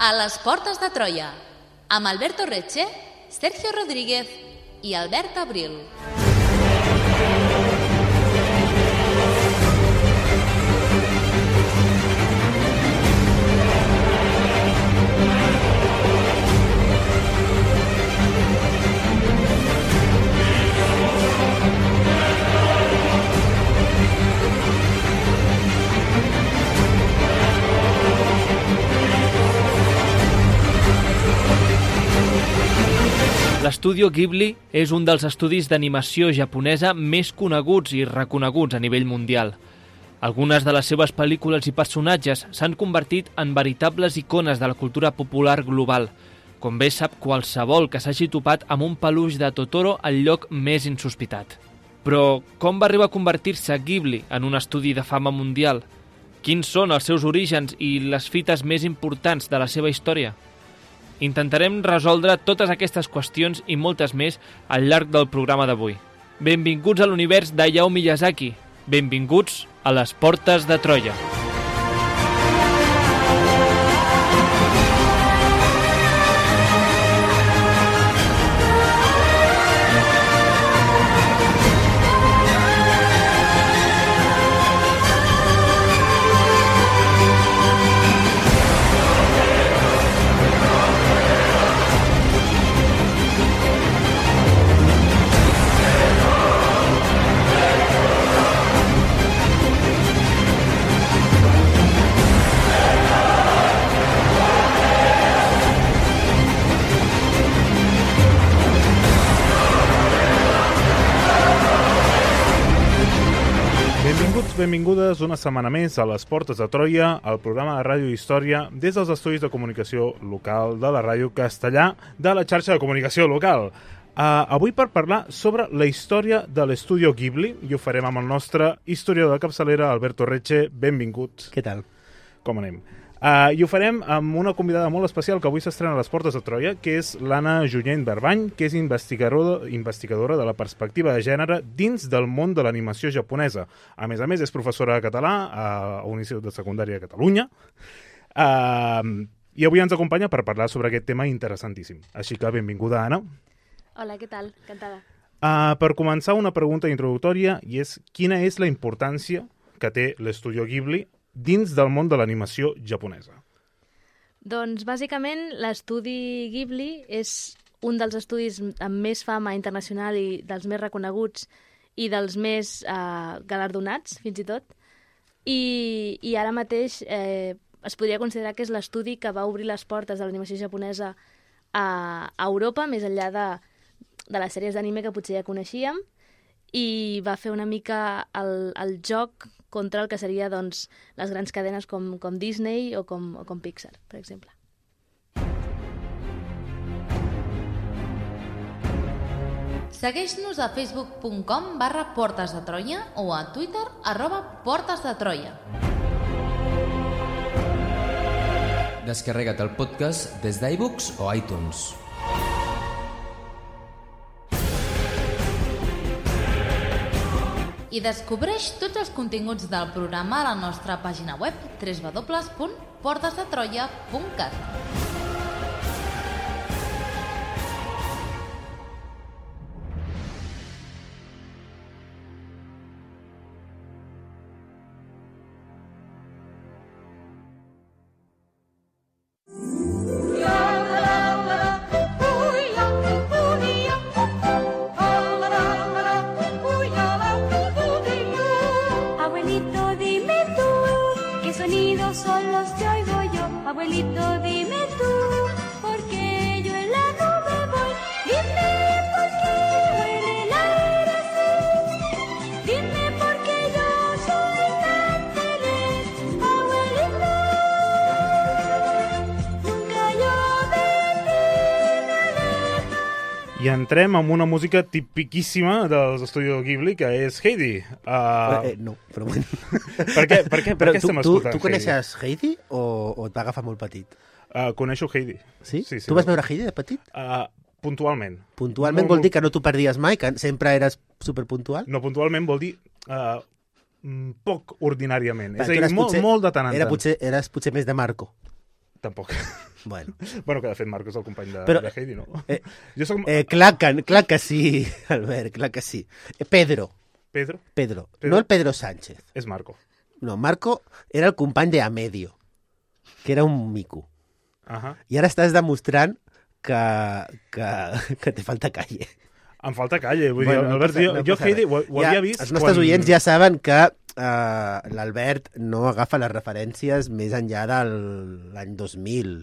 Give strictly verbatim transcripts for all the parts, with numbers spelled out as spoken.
A les portes de Troia, amb Alberto Reche, Sergio Rodríguez i Albert Abril. L'estudio Ghibli és un dels estudis d'animació japonesa més coneguts i reconeguts a nivell mundial. Algunes de les seves pel·lícules i personatges s'han convertit en veritables icones de la cultura popular global, com bé sap qualsevol que s'hagi topat amb un peluix de Totoro al lloc més insospitat. Però com va arribar a convertir-se Ghibli en un estudi de fama mundial? Quins són els seus orígens i les fites més importants de la seva història? Intentarem resoldre totes aquestes qüestions i moltes més al llarg del programa d'avui. Benvinguts a l'univers d'Hayao Miyazaki. Benvinguts a les portes de Troia. Benvingudes una setmana més a les portes de Troia, el programa de ràdio i història des dels estudis de comunicació local de la ràdio castellà de la xarxa de comunicació local. Uh, avui per parlar sobre la història de l'estudio Ghibli i ho farem amb el nostre historiador de capçalera, Alberto Reche. Benvingut. Què tal? Com anem? Uh, I ho farem amb una convidada molt especial que avui s'estrena a les portes de Troia, que és l'Anna Junyent Barbany, que és investigadora, investigadora de la perspectiva de gènere dins del món de l'animació japonesa. A més a més, és professora de català a un institut de secundària de Catalunya. Uh, I avui ens acompanya per parlar sobre aquest tema interessantíssim. Així que benvinguda, Anna. Hola, què tal? Encantada. Uh, per començar, una pregunta introductòria, i és quina és la importància que té l'estudio Ghibli dins del món de l'animació japonesa? Doncs, bàsicament, l'estudi Ghibli és un dels estudis amb més fama internacional i dels més reconeguts i dels més eh, galardonats, fins i tot. I, i ara mateix eh, es podria considerar que és l'estudi que va obrir les portes de l'animació japonesa a, a Europa, més enllà de, de les sèries d'anime que potser ja coneixíem, i va fer una mica el, el joc contra el que seria doncs, les grans cadenes com, com Disney o com, o com Pixar, per exemple. Segueix-nos a facebook punt com barra portes de Troia o a Twitter arroba portes de Troia. Descarrega't el podcast des d'iBooks o iTunes. I descobreix tots els continguts del programa a la nostra pàgina web w w w punt portes de troia punt cat. I entrem amb una música tipiquíssima dels estudis Ghibli, que és Heidi. Uh... Eh, no, però bueno. Per què, per què, per què tu, estem tu, escoltant tu coneixes Heidi, Heidi o, o et va agafar molt petit? Uh, coneixo Heidi. Sí? sí, sí tu vas veure Heidi de petit? Uh, puntualment. Puntualment no, vol dir que no t'ho perdies mai, que sempre eres superpuntual? No, puntualment vol dir uh, poc ordinàriament. Però és a dir, molt, potser, molt de tant en era tant. Potser, eres potser més de Marco. Tampoc. Bueno, Bueno, que de fet Marco és el company de, Però- de Heidi, no? eh, Jo soc eh, clar, que, clar que sí, Albert, clar que sí. Eh, Pedro, Pedro, Pedro, Pedro. no el Pedro Sánchez. és Marco. No, Marco era el company de Amedio, que era un mico. Ahà. I ara estàs demostrant que, que, que te falta calle. Em falta calle, vull Bueno, dir, no Albert, passa- jo, no jo passa Heidi res. ho, ho Ja, havia vist Els nostres quan... oients ja saben que uh, l'Albert no agafa les referències més enllà de l'any dos mil,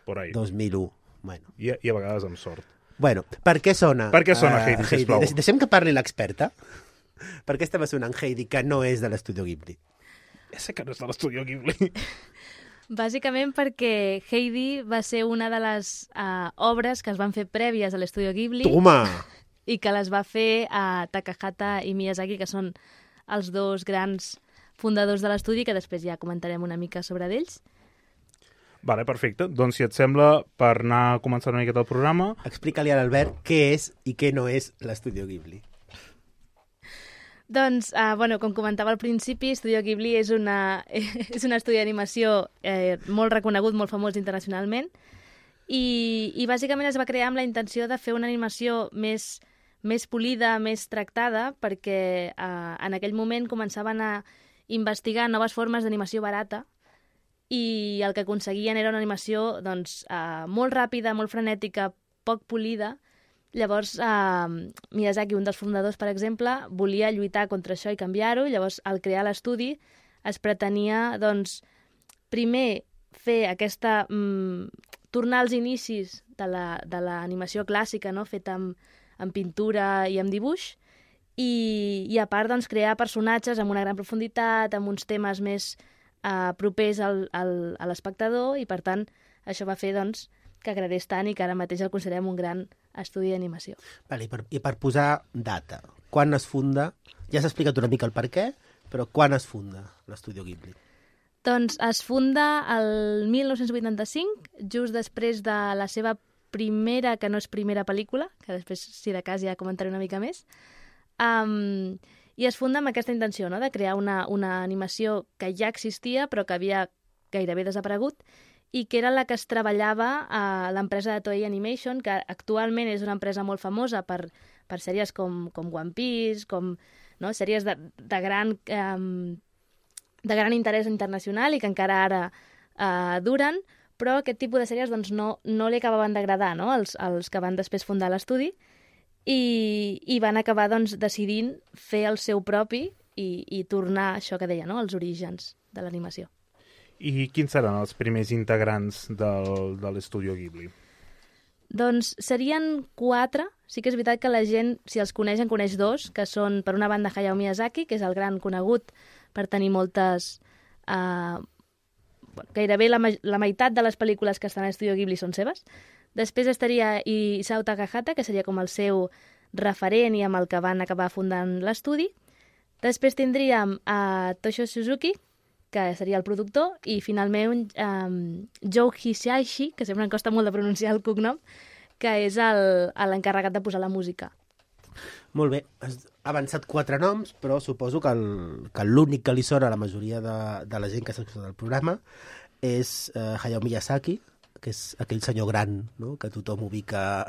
Por ahí. dos mil u. Bueno. I, I a vegades amb sort. bueno, per què sona? Per què sona eh, Heidi, sisplau? Deix- Deixem que parli l'experta. Per què estava sonant Heidi, que no és de l'Estudio Ghibli? Ja sé que no és de l'Estudio Ghibli. Bàsicament perquè Heidi va ser una de les uh, obres que es van fer prèvies a l'Estudio Ghibli Toma! i que les va fer a Takahata i Miyazaki, que són els dos grans fundadors de l'estudi, que després ja comentarem una mica sobre d'ells. Vale, perfecte. Doncs si et sembla, per anar començant una miqueta el programa... Explica-li a l'Albert què és i què no és l'Estudio Ghibli. Doncs, uh, bueno, com comentava al principi, Studio Ghibli és, una, és un estudi d'animació eh, molt reconegut, molt famós internacionalment, i, i bàsicament es va crear amb la intenció de fer una animació més, més polida, més tractada, perquè eh, en aquell moment començaven a investigar noves formes d'animació barata, i el que aconseguien era una animació doncs, eh, molt ràpida, molt frenètica, poc polida. Llavors, eh, Miyazaki, un dels fundadors, per exemple, volia lluitar contra això i canviar-ho. Llavors, al crear l'estudi, es pretenia, doncs, primer fer aquesta... Mm, tornar als inicis de la, de l'animació clàssica, no?, feta amb, amb pintura i amb dibuix, i, i a part, doncs, crear personatges amb una gran profunditat, amb uns temes més eh, propers al, al, a l'espectador, i, per tant, això va fer, doncs, que agradés tant i que ara mateix el considerem un gran estudi d'animació. Vale, i, per, I per posar data, quan es funda... Ja s'ha explicat una mica el per què, però quan es funda l'Estudio Ghibli? Doncs es funda el mil nou-cents vuitanta-cinc, just després de la seva primera, que no és primera pel·lícula, que després, si de cas, ja comentaré una mica més, um, i es funda amb aquesta intenció, no?, de crear una, una animació que ja existia, però que havia gairebé desaparegut, i que era la que es treballava a l'empresa de Toei Animation, que actualment és una empresa molt famosa per, per sèries com, com One Piece, com, no?, sèries de, de gran... Um, de gran interès internacional i que encara ara eh, duren, però aquest tipus de sèries doncs, no, no li acabaven d'agradar, no?, els, els que van després fundar l'estudi, i, i van acabar doncs, decidint fer el seu propi i, i tornar això que deia, no?, als orígens de l'animació. I quins seran els primers integrants del, de l'Estudio Ghibli? Doncs serien quatre. Sí que és veritat que la gent, si els coneix, en coneix dos, que són, per una banda, Hayao Miyazaki, que és el gran conegut per tenir moltes... Eh, gairebé la, la meitat de les pel·lícules que estan a l'Estudio Ghibli són seves. Després estaria Isao Takahata, que seria com el seu referent i amb el que van acabar fundant l'estudi. Després tindríem a Toshio Suzuki, que seria el productor, i finalment um, Joe Hisaishi, que sempre em costa molt de pronunciar el cognom, que és l'encarregat de posar la música. Molt bé, has avançat quatre noms, però suposo que el- que l'únic que li sona a la majoria de, de la gent que s'ha escoltat el programa és eh, Hayao Miyazaki, que és aquell senyor gran, no?, que tothom ubica,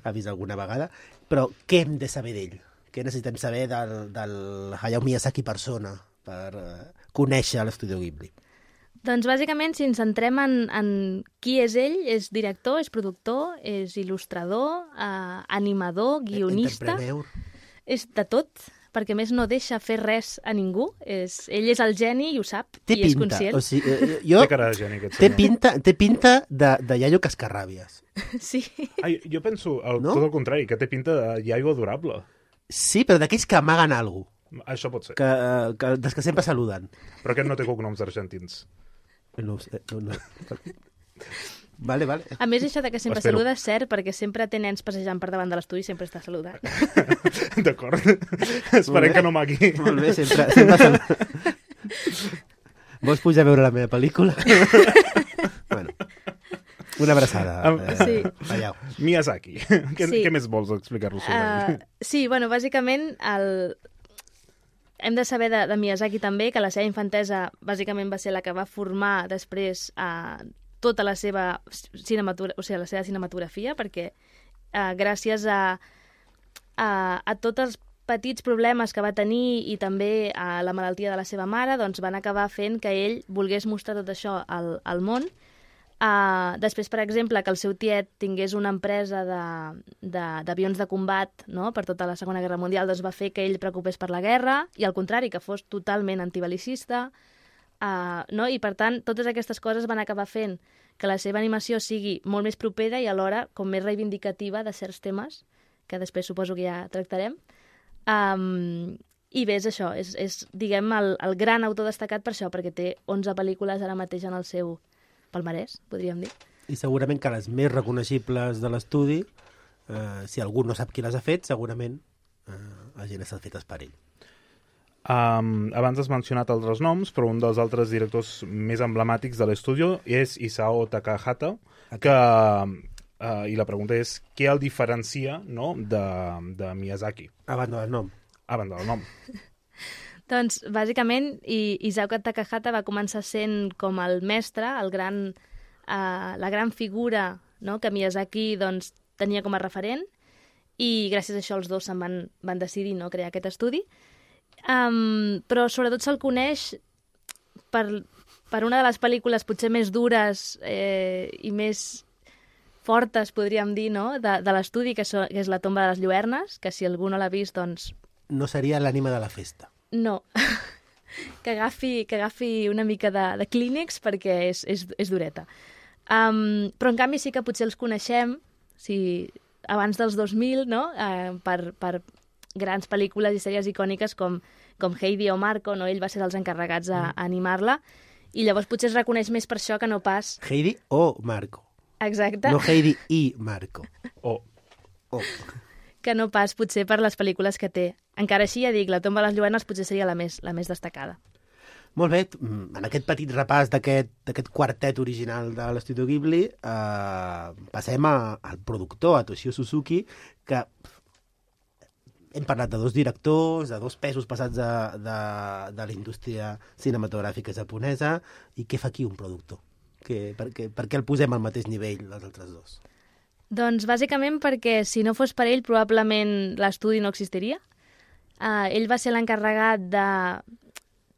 ha vist alguna vegada. Però què hem de saber d'ell? Què necessitem saber del, del Hayao Miyazaki persona per eh, conèixer l'Estudio Ghibli? Doncs bàsicament, si ens centrem en, en qui és ell, és director, és productor, és il·lustrador, eh, animador, guionista, Entrepreneur. és de tot, perquè a més no deixa fer res a ningú. És, ell és el geni i ho sap, Té i és pinta, conscient. o sigui, eh, jo... Té cara de geni, aquest Té senyor. pinta, té pinta de, de iaio cascarràbies. Sí. Ai, jo penso el, No? tot el contrari, que té pinta de iaio adorable. Sí, però d'aquells que amaguen alguna cosa, Això pot ser. que, que, dels que sempre saluden. Però aquest no té cognoms argentins. No, ho sé, no, no. Vale, vale. A més, això de que sempre Espero. saluda és cert, perquè sempre té nens passejant per davant de l'estudi i sempre està saludant. D'acord. Esperem que no magui. Molt bé, sempre, sempre saluda. Vols pujar a veure la meva pel·lícula? Bueno, una abraçada. Am- Eh, Sí. Vallau. Miyazaki. Què, Sí. què més vols explicar-nos sobre Uh, ell? sí, bueno, bàsicament el... hem de saber de, de Miyazaki també que la seva infantesa bàsicament va ser la que va formar després eh, tota la seva cinematura, o sigui, la seva cinematografia, perquè eh, gràcies a, a, a tots els petits problemes que va tenir i també a la malaltia de la seva mare, doncs van acabar fent que ell volgués mostrar tot això al, al món. Uh, després, per exemple, que el seu tiet tingués una empresa d'avions de, de, de combat, no?, per tota la Segona Guerra Mundial, doncs va fer que ell preocupés per la guerra, i al contrari, que fos totalment antibelicista, uh, no? I per tant, totes aquestes coses van acabar fent que la seva animació sigui molt més propera i alhora com més reivindicativa de certs temes, que després suposo que ja tractarem. Um, I bé, és això, és, és diguem, el, el gran autor destacat per això, perquè té onze pel·lícules ara mateix en el seu palmarès, podríem dir. I segurament que les més reconeixibles de l'estudi, eh, si algú no sap qui les ha fet, segurament eh, hagin estat fetes per ell. Um, abans has mencionat altres noms, però un dels altres directors més emblemàtics de l'estudi és Isao Takahata, que, uh, i la pregunta és què el diferencia, no?, de, de Miyazaki. A banda del nom. A banda del nom. Doncs, bàsicament, Isao Takahata va començar sent com el mestre, el gran, uh, la gran figura, no?, que Miyazaki doncs, tenia com a referent, i gràcies a això els dos se'n van, van decidir, no?, crear aquest estudi. Um, però sobretot se'l coneix per, per una de les pel·lícules potser més dures eh, i més fortes, podríem dir, no?, de, de l'estudi, que, so, que és La tomba de les lluernes, que si algú no l'ha vist, doncs... No seria l'ànima de la festa. No, que agafi, que agafi una mica de, de clínex perquè és, és, és dureta. Um, però en canvi sí que potser els coneixem, si, abans dels dos mil, no?, uh, per, per grans pel·lícules i sèries icòniques com, com Heidi o Marco, no? Ell va ser dels encarregats a, a animar-la, i llavors potser es reconeix més per això que no pas... Heidi o Marco. Exacte. No Heidi i Marco. O. O. Que no pas potser per les pel·lícules que té. Encara així, ja dic, La tomba de les lluernes potser seria la més, la més destacada. Molt bé, en aquest petit repàs d'aquest quartet original de l'Estudi Ghibli, eh, passem a, al productor, a Toshio Suzuki, que hem parlat de dos directors, de dos pesos passats de, de, de la indústria cinematogràfica japonesa, i què fa aquí un productor? Que, per, què, per què el posem al mateix nivell dels altres dos? Doncs bàsicament perquè si no fos per ell probablement l'estudi no existiria. Uh, ell va ser l'encarregat de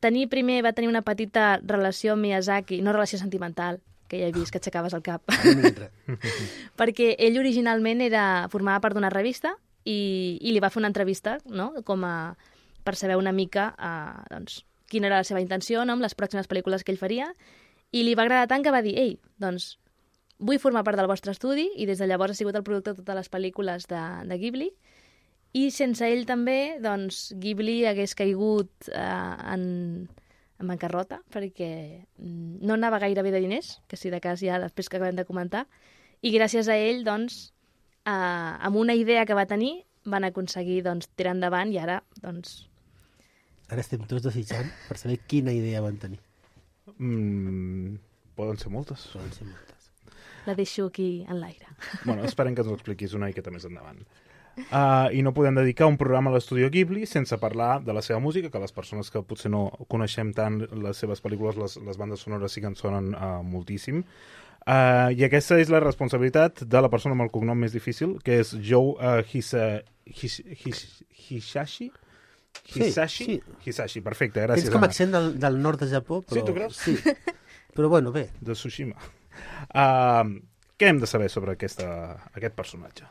tenir primer, va tenir una petita relació amb Miyazaki, no relació sentimental, que ja he vist que aixecaves el cap, perquè ell originalment era, formava part d'una revista i, i li va fer una entrevista, no?, com a, per saber una mica uh, doncs, quina era la seva intenció, no?, amb les pròximes pel·lícules que ell faria, i li va agradar tant que va dir, ei, doncs vull formar part del vostre estudi, i des de llavors ha sigut el productor de totes les pel·lícules de, de Ghibli, i sense ell també, doncs, Ghibli hagués caigut eh, en, en bancarrota, perquè no anava gaire bé de diners, que si de cas ja després que acabem de comentar, i gràcies a ell, doncs, eh, amb una idea que va tenir, van aconseguir doncs, tirar endavant, i ara, doncs... Ara estem tots desitjant per saber quina idea van tenir. Mm, poden ser moltes. Poden ser moltes. La deixo aquí en l'aire. Bueno, esperem que ens ho expliquis una miqueta més endavant. Uh, I no podem dedicar un programa a l'Estudio Ghibli sense parlar de la seva música, que les persones que potser no coneixem tant les seves pel·lícules, les, les bandes sonores sí que en sonen uh, moltíssim. Uh, I aquesta és la responsabilitat de la persona amb el cognom més difícil, que és Joe uh, Hisa, His, His, Hisashi? Hisashi? Sí, sí. Hisashi, perfecte, gràcies. Tens com accent del, del nord de Japó, però... Sí, tu creus? Sí. Però bueno, bé. De Tsushima. Uh, què hem de saber sobre aquesta, aquest personatge?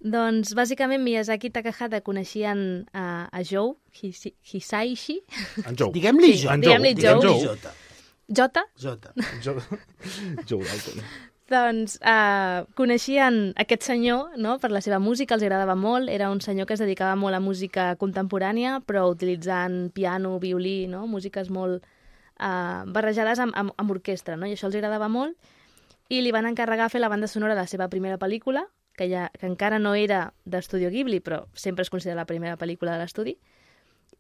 Doncs, bàsicament, Miyazaki i Takahata coneixien a, a Joe His, Hisaishi. En Joe. Diguem-li Sí, Joe. diguem-li Joe. Diguem-li Jota. Jota? Jota. Joe, Joe Dalton. Doncs uh, coneixien aquest senyor, no?, per la seva música, els agradava molt, era un senyor que es dedicava molt a música contemporània, però utilitzant piano, violí, no?, músiques molt uh, barrejades amb, amb, amb orquestra, no?, i això els agradava molt, i li van encarregar fer la banda sonora de la seva primera pel·lícula, que, ja, que encara no era d'Estudio Ghibli, però sempre es considera la primera pel·lícula de l'estudi,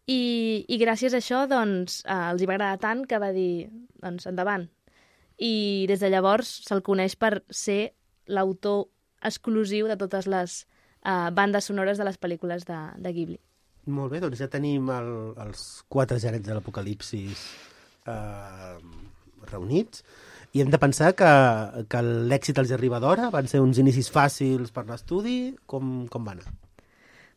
i, i gràcies a això doncs, eh, els hi va agradar tant que va dir, doncs, endavant. I des de llavors se'l coneix per ser l'autor exclusiu de totes les eh, bandes sonores de les pel·lícules de, de Ghibli. Molt bé, doncs ja tenim el, els quatre gerents de l'apocalipsis eh, reunits i hem de pensar que, que l'èxit els arriba d'hora, van ser uns inicis fàcils per l'estudi, com, com va anar?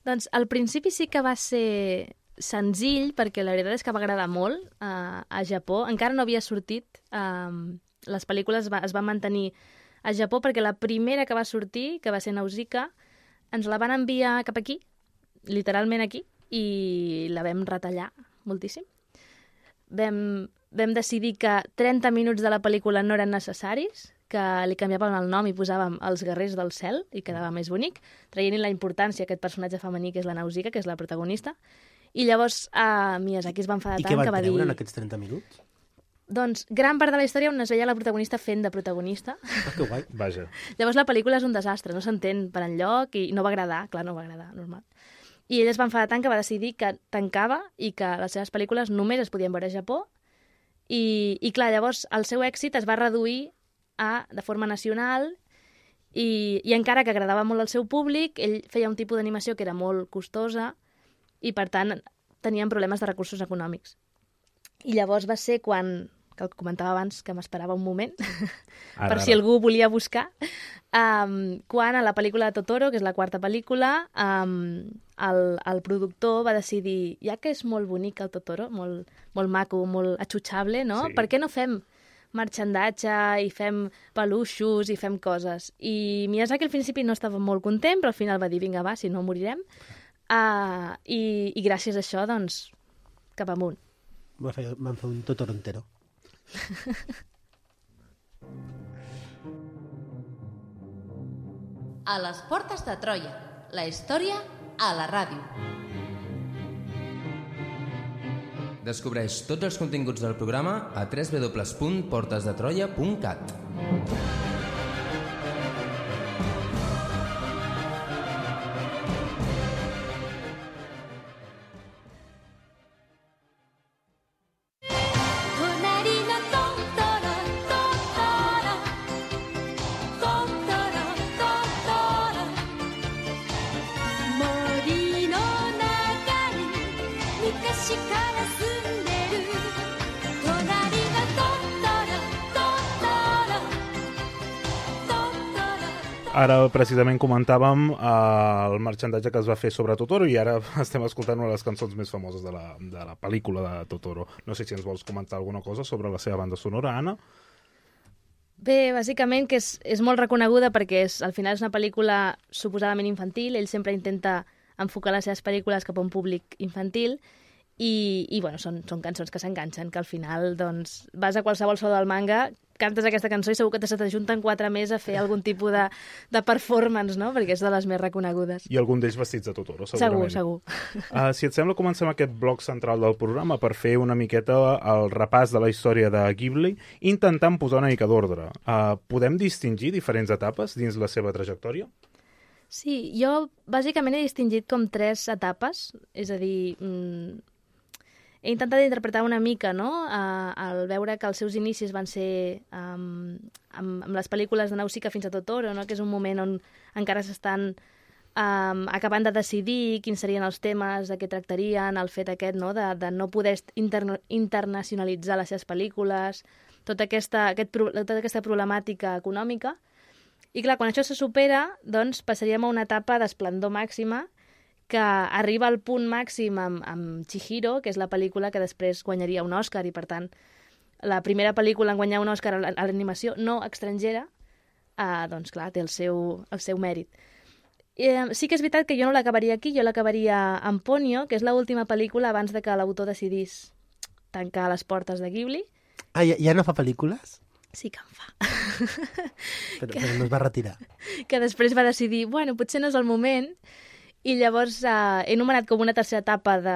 Doncs al principi sí que va ser senzill, perquè la veritat és que va agradar molt uh, a Japó. Encara no havia sortit, uh, les pel·lícules va, es van mantenir a Japó, perquè la primera que va sortir, que va ser Nausicaa, ens la van enviar cap aquí, literalment aquí, i la vam retallar moltíssim. Vam, vam decidir que trenta minuts de la pel·lícula no eren necessaris, que li canviàvem el nom i posàvem els guerrers del cel i quedava més bonic, traient-hi la importància a aquest personatge femení que és la Nausicaa, que és la protagonista. I llavors uh, Miyazaki es va enfadar I tant que va dir... I què van treure en aquests trenta minuts? Doncs gran part de la història on es veia la protagonista fent de protagonista. Ah, que guai. Vaja. Llavors la pel·lícula és un desastre, no s'entén per enlloc i no va agradar, clar, no va agradar, normal. I ell es va enfadar tant que va decidir que tancava i que les seves pel·lícules només es podien veure a Japó i, i clar, llavors el seu èxit es va reduir a, de forma nacional i, i encara que agradava molt al seu públic, ell feia un tipus d'animació que era molt costosa i per tant tenien problemes de recursos econòmics. I llavors va ser quan, que el comentava abans, que m'esperava un moment, ara, per ara. Si algú volia buscar, um, quan a la pel·lícula de Totoro, que és la quarta pel·lícula, um, el, el productor va decidir, ja que és molt bonic el Totoro, molt, molt maco, molt atxutxable, no? Sí. Per què no fem marxandatge i fem peluixos i fem coses? I Miyazaki al principi no estava molt content, però al final va dir, vinga, va, si no morirem. Uh, i, I gràcies a això, doncs, cap amunt. Van fer, van fer un Totoro entero. A les portes de Troia, la història a la ràdio. Descobreix tots els continguts del programa a w w w punt portes de troia punt cat. Ara precisament comentàvem eh, el marxandatge que es va fer sobre Totoro i ara estem escoltant una de les cançons més famoses de la, de la pel·lícula de Totoro. No sé si ens vols comentar alguna cosa sobre la seva banda sonora, Anna? Bé, bàsicament que és, és molt reconeguda perquè és, al final és una pel·lícula suposadament infantil, ell sempre intenta enfocar les seves pel·lícules cap a un públic infantil i, i bueno, són, són cançons que s'enganxen, que al final doncs, vas a qualsevol show del manga, cantes aquesta cançó i segur que se t'ajunten quatre més a fer algun tipus de, de performance, no? Perquè és de les més reconegudes. I algun d'ells vestits de Totoro, segurament. Segur, segur. Uh, si et sembla, comencem aquest bloc central del programa per fer una miqueta el repàs de la història de Ghibli, intentant posar una mica d'ordre. Uh, podem distingir diferents etapes dins la seva trajectòria? Sí, jo bàsicament he distingit com tres etapes, és a dir... Mmm, he intentat interpretar una mica, no?, uh, al veure que els seus inicis van ser um, amb, amb les pel·lícules de Nausicaa fins a Totoro, no?, que és un moment on encara s'estan um, acabant de decidir quins serien els temes, de què tractarien, el fet aquest, no?, de, de no poder interna internacionalitzar les seves pel·lícules, tota aquesta, aquest, tota aquesta problemàtica econòmica. I clar, quan això se supera, doncs passaríem a una etapa d'esplendor màxima que arriba al punt màxim amb, amb Chihiro, que és la pel·lícula que després guanyaria un Òscar, i per tant la primera pel·lícula en guanyar un Òscar a l'animació no estrangera, eh, doncs clar, té el seu, el seu mèrit. Eh, sí que és veritat que jo no l'acabaria aquí, jo l'acabaria amb Ponyo, que és l'última pel·lícula abans de que l'autor decidís tancar les portes de Ghibli. Ah, ja, ja no fa pel·lícules? Sí que en fa. Però, que, però no es va retirar. Que després va decidir, bueno, potser no és el moment. I llavors eh, he anomenat com una tercera etapa de,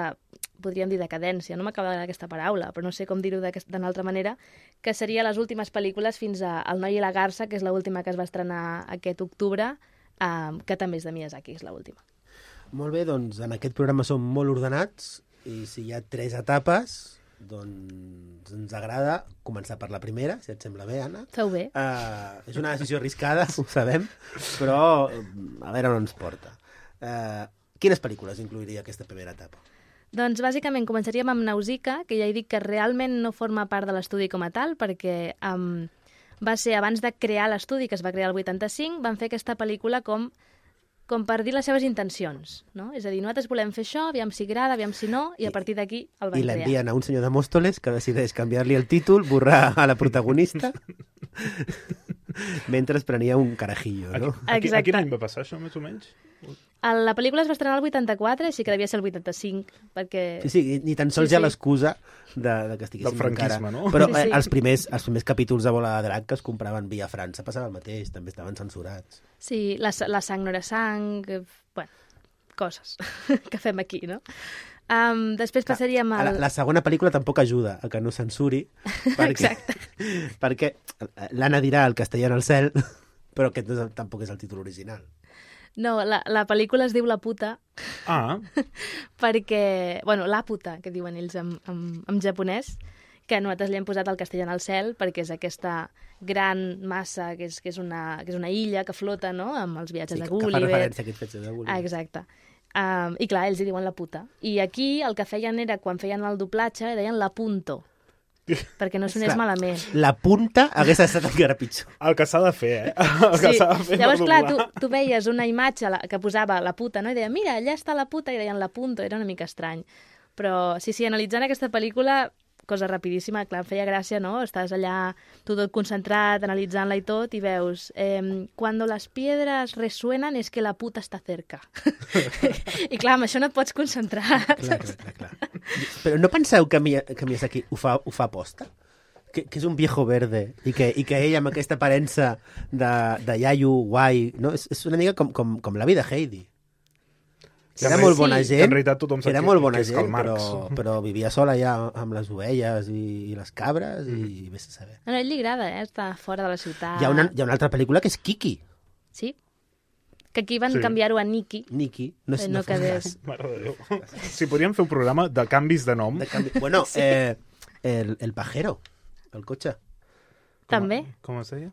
podríem dir, decadència, no m'acaba d'agradar aquesta paraula, però no sé com dir-ho d'una altra manera, que seria les últimes pel·lícules fins a El noi i la garça, que és l'última que es va estrenar aquest octubre, eh, que també és de Miyazaki, és l'última. Molt bé, doncs en aquest programa som molt ordenats, i si hi ha tres etapes, doncs ens agrada començar per la primera, si et sembla bé, Anna. Feu bé. Uh, és una decisió arriscada, ho sabem, però a veure on ens porta. Uh, Quines pel·lícules incluiria aquesta primera etapa? Doncs bàsicament començaríem amb Nausicaa, que ja he dit que realment no forma part de l'estudi com a tal, perquè um, va ser abans de crear l'estudi, que es va crear el vuitanta-cinc, van fer aquesta pel·lícula com, com per dir les seves intencions, no? És a dir, nosaltres volem fer això, aviam si agrada, aviam si no, i a partir d'aquí el van I crear. l'envien a un senyor de Mòstoles que decideix canviar-li el títol, borrar a la protagonista, mentre prenia un carajillo, no? A, qui- a Exacte. quin any va passar això, més o menys? El- La pel·lícula es va estrenar el vuitanta-quatre, així que devia ser el vuitanta-cinc, perquè... Sí, sí, ni tan sols Sí, hi ha sí. l'excusa de, de que estiguéssim Del franquisme, encara. no? Però Sí, eh, sí. els, primers, els primers capítols de Bola de Drac que es compraven via França passava el mateix, també estaven censurats. Sí, la, la sang no era sang, que, bueno, coses que fem aquí, no? Um, després passaríem La, al... la segona pel·lícula tampoc ajuda a que no censuri, perquè, Exacte. perquè l'Anna dirà el castellà en el cel, però aquest no és, el- tampoc és el títol original. No, la, la pel·lícula es diu La puta, Ah, perquè... Bueno, La puta, que diuen ells en, en, en japonès, que nosaltres li hem posat el castellà en el cel, perquè és aquesta gran massa, que és, que és, una, que és una illa que flota, no?, amb els viatges Sí, de que, que fa Gulliver. referència a aquest fet de Gulliver. Ah, exacte. Um, I clar, ells hi diuen la puta. I aquí el que feien era, quan feien el doblatge, deien la punto, perquè no sonés Clar. malament. La punta hagués estat encara pitjor. el que s'ha de fer, eh? El que s'ha de fer Llavors, per clar, tu, doblar. tu veies una imatge la- que posava la puta, no? I deia, mira, allà està la puta, i deien la punto, era una mica estrany. Però, sí, sí, analitzant aquesta pel·lícula, cosa rapidíssima, clar, em feia gràcia, no? Estàs allà, tu tot concentrat, analitzant-la i tot, i veus, eh, cuando las piedras resuenan es que la puta està cerca. I clar, amb això no et pots concentrar. Clar, clar, clar, clar. Però no penseu que, Mia, que Miyazaki ho fa, ho fa aposta? Que, que és un viejo verde i que, i que ell amb aquesta aparença de, de iaio guai, no? És, és una mica com, com, com l'avi de Heidi. Que Era a molt més- bona que gent, en realitat tothom sap era que- molt bona que és gent, Karl Marx. però, però vivia sola ja amb les ovelles i, i les cabres i vés a saber. A ell li agrada, eh? Estar fora de la ciutat. Hi ha, una, hi ha una altra pel·lícula que és Kiki. Sí. Que aquí van Sí. canviar-ho a Nikki. Niki. No, és, Eh, no, no fos quedés. cas. Mare de Déu. Si podríem fer un programa de canvis de nom. De canvi... Bueno, eh, el, el pajero, el cotxe. També. Com es deia?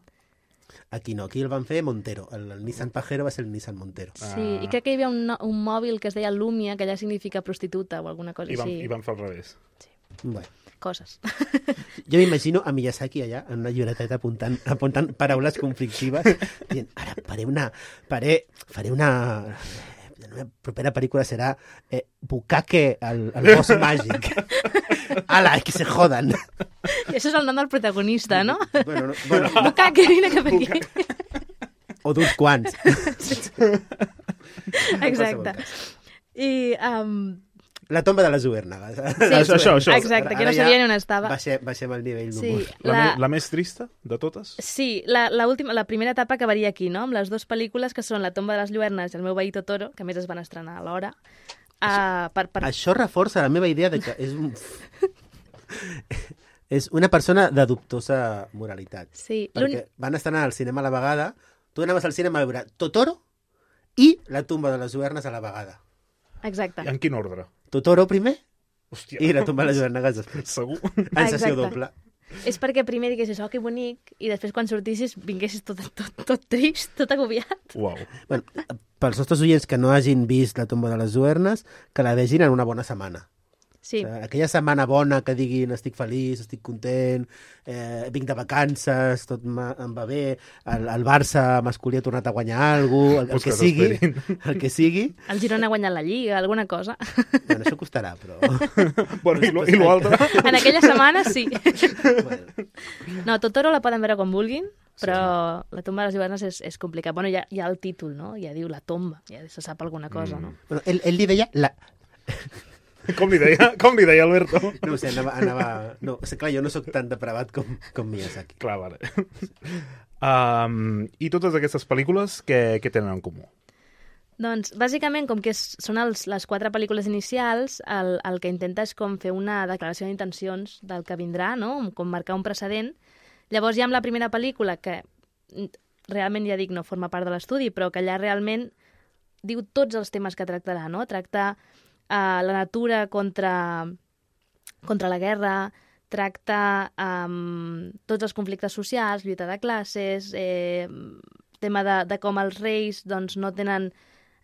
Aquí no, aquí el van fer Montero. El, el Nissan Pajero va ser el Nissan Montero. Sí, i crec que hi havia un, no- un mòbil que es deia Lumia, que allà significa prostituta o alguna cosa I van, així. I van fer al revés. Bueno. Coses. Jo m'imagino a Miyazaki allà, en una llibreteta apuntant, apuntant paraules conflictives, dient, ara faré una... Faré, faré una... La meva propera pel·lícula serà eh, Bukake, el, el boss màgic. Ala, que se jodan. I això és el nom del protagonista, no? Bueno, no, bueno, Bukake, vine cap aquí. o d'uns quants. Exacte. I... Um, La tomba de les Luérnagas. Sí, Això, això, això. exacte, que no Ara ja sabia ni on estava. Baixem, baixem el nivell Sí, d'humor. La, la, me, la més trista de totes? sí la, la, última, la primera etapa acabaria aquí, no? Amb les dues pel·lícules que són La tomba de les lluernes i El meu veí Totoro, que a més es van estrenar alhora. Uh, per, per... Això reforça la meva idea de que és un... és una persona de dubtosa moralitat. Sí, Perquè van estrenar al cinema a la vegada, tu anaves al cinema a veure Totoro i La tomba de les Luérnagas a la vegada. Exacte. I en quin ordre? Totoro primer Hòstia. i La tomba de les Luérnagas després. Segur? En sessió Exacte. doble. És perquè primer diguessis, oh, que bonic, i després quan sortissis vinguessis tot, tot, tot trist, tot agobiat. Uau. Bueno, pels nostres oients que no hagin vist La tomba de les Luérnagas, que la vegin en una bona setmana. Sí, O sigui, aquella setmana bona que diguin estic feliç, estic content, eh, vinc de vacances, tot ma- em va bé, el, el Barça masculí ha tornat a guanyar alguna cosa, el, el, Pues que que sigui, s'esperin. el que sigui. el Girona ha guanyat la Lliga, alguna cosa. Bueno, això costarà, però... Bueno, i lo- i l'altre? En aquella setmana, sí. bueno, No, Totoro la poden veure com vulguin, però La tomba de les Lluernes és, és complicat. Bueno, ja, ja el títol, no? Ja diu La tomba, ja se sap alguna cosa, no? bueno ell, ell li deia... La... Com li deia, com li deia Alberto? No ho sé, anava... anava... No, o sigui, clar, jo no sóc tan depravat com, com Miyazaki. Clar, vale. Um, I totes aquestes pel·lícules, què, què tenen en comú? Doncs, bàsicament, com que és, són els, les quatre pel·lícules inicials, el, el que intenta és com fer una declaració d'intencions del que vindrà, no? Com marcar un precedent. Llavors, ja amb la primera pel·lícula, que mm, realment, ja dic, no forma part de l'estudi, però que allà realment diu tots els temes que tractarà, no? Tracta uh, la natura contra, contra la guerra, tracta um, tots els conflictes socials, lluita de classes, eh, tema de, de com els reis doncs, no tenen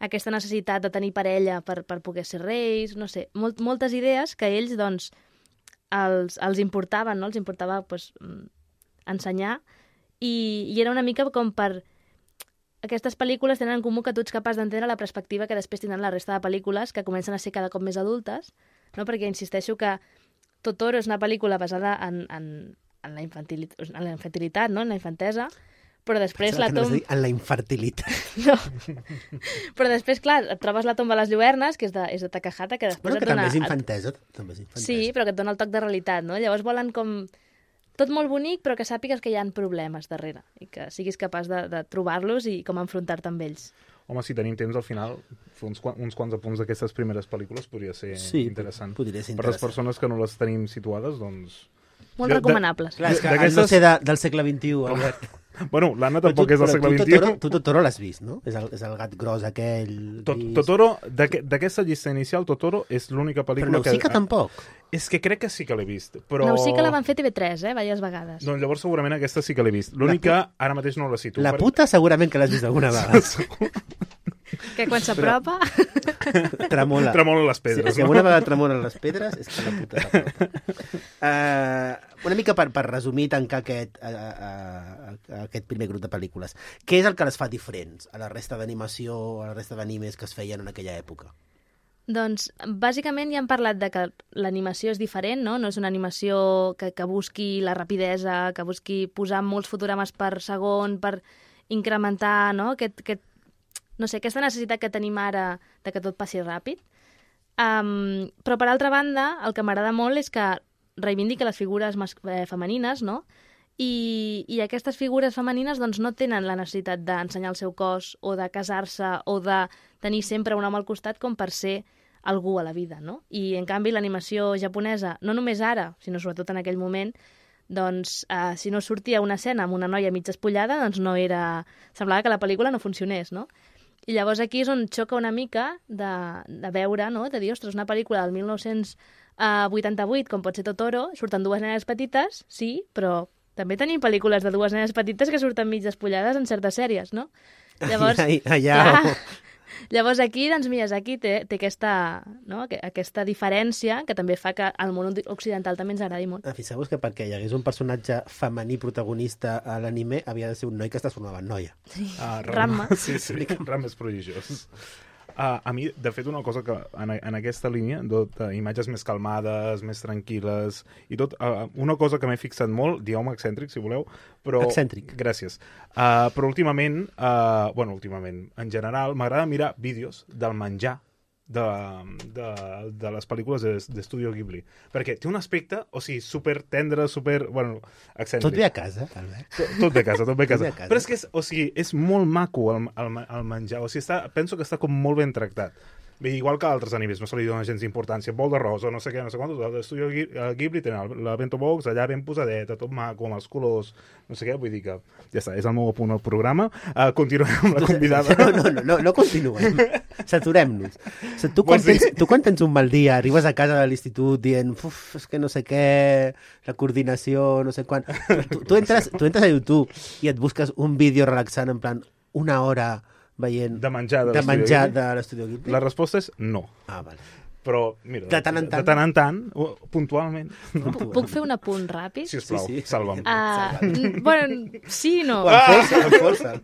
aquesta necessitat de tenir parella per, per poder ser reis, no sé, molt, moltes idees que ells, doncs, els, els importaven, no? Els importava pues, ensenyar, i, i era una mica com per... Aquestes pel·lícules tenen en comú que tu ets capaç d'entendre la perspectiva que després tindran la resta de pel·lícules, que comencen a ser cada cop més adultes, no? Perquè insisteixo que Totoro és una pel·lícula basada en, en, en, la, infantilitat, en la infantilitat, no? En la infantesa, però després la tomba... En la infertilitat. No. Però després, clar, et trobes la tomba de les Lluernes, que és de, és de Takahata, que després bueno, et que dona... també és infantesa. També és infantesa. Sí, però que et dona el toc de realitat, no? Llavors volen com... Tot molt bonic, però que sàpigues que hi ha problemes darrere i que siguis capaç de, de trobar-los i com enfrontar-te amb ells. Home, si tenim temps, al final, fer uns, uns quants apunts d'aquestes primeres pel·lícules podria ser sí, interessant. podria ser interessant. Per les persones que no les tenim situades, doncs... Molt jo, recomanables. De, clar, és que d'aquestes... no sé de, del segle vint-i-u, Albert. Bueno, l'Anna tampoc tu, és del segle tu, vint-i-u. Totoro, tu Totoro l'has vist, no? És el, és el gat gros aquell... Tot, Totoro, d'aquesta llista inicial, Totoro és l'única pel·lícula que... Però Nausicaa que... tampoc. És que crec que sí que l'he vist, però... Nausicaa la van fer T V tres, eh? Diverses vegades. Doncs llavors segurament aquesta sí que l'he vist. L'únic que ara mateix no la cito. La puta segurament que l'has vist alguna vegada. Que quan s'apropa... Tremola. Tremola les pedres. Si, si alguna vegada tremolen les pedres, és que la puta s'apropa. Uh, una mica per, per resumir i tancar aquest, uh, uh, uh, aquest primer grup de pel·lícules. Què és el que les fa diferents a la resta d'animació, a la resta d'animes que es feien en aquella època? Doncs, bàsicament ja hem parlat de que l'animació és diferent, no? No és una animació que, que busqui la rapidesa, que busqui posar molts fotogrames per segon, per incrementar, no? Aquest, aquest, no sé, aquesta necessitat que tenim ara de que tot passi ràpid. Um, però, per altra banda, el que m'agrada molt és que reivindica les figures mas- eh, femenines, no? I, i aquestes figures femenines doncs, no tenen la necessitat d'ensenyar el seu cos o de casar-se o de tenir sempre un home al costat com per ser algú a la vida, no? I, en canvi, l'animació japonesa, no només ara, sinó sobretot en aquell moment, doncs, eh, si no sortia una escena amb una noia mig espullada, doncs no era... Semblava que la pel·lícula no funcionés, no? I llavors aquí és on xoca una mica de, de veure, no? De dir, ostres, una pel·lícula del mil nou-cents vuitanta-vuit, com pot ser Totoro, surten dues nenes petites, sí, però també tenim pel·lícules de dues nenes petites que surten mig despullades en certes sèries, no? Llavors, ai, ai, ai, clar, llavors aquí, doncs, Miyazaki té, té aquesta, no? aquesta diferència que també fa que al món occidental també ens agradi molt. Fixeu-vos que perquè hi hagués un personatge femení protagonista a l'anime havia de ser un noi que es transformava en noia. Sí, ah, Ranma. Sí, sí, Ranma és prodigiós. Uh, a mi, de fet, una cosa que en, en aquesta línia, tot, uh, imatges més calmades, més tranquil·les, i tot, uh, una cosa que m'he fixat molt, dieu-me excèntric, si voleu, però... Excèntric. Gràcies. Uh, però últimament, uh, bueno, últimament, en general, m'agrada mirar vídeos del menjar de, de, de les pel·lícules d'Estudio Ghibli. Perquè té un aspecte, o sigui, super tendre, super... Bueno, excèntric. Tot ve a casa, Albert. Tot, tot ve a casa, tot ve a casa. Tot ve a casa. Però és que és, o sigui, és molt maco el, el, el menjar. O sigui, està, penso que està com molt ben tractat. Bé, igual que altres animes, no se li dona gens d'importància. Bol d'arròs o no sé què, no sé quantos. L'Estudio Ghibli tenen la bento box allà ben posadeta, tot maco, amb els colors, no sé què, vull dir que ja està, és el meu apunt al programa. Uh, continuem amb la convidada. No, no, no, no, no continuem. Saturem-nos. O sigui, tu, quan tens, tu quan tens un mal dia, arribes a casa de l'institut dient, uf, és que no sé què, la coordinació, no sé quan... Tu, tu, entres, tu entres a YouTube i et busques un vídeo relaxant en plan una hora veient de menjar de, de, menjar de l'Estudio Ghibli? La resposta és no. Ah, vale. Però, mira, de tant en tant, de tant, en tant puntualment. No. Puc fer un apunt ràpid? Sisplau, sí, sí. salva'm. Uh, bueno, sí i no. O amb força, amb força.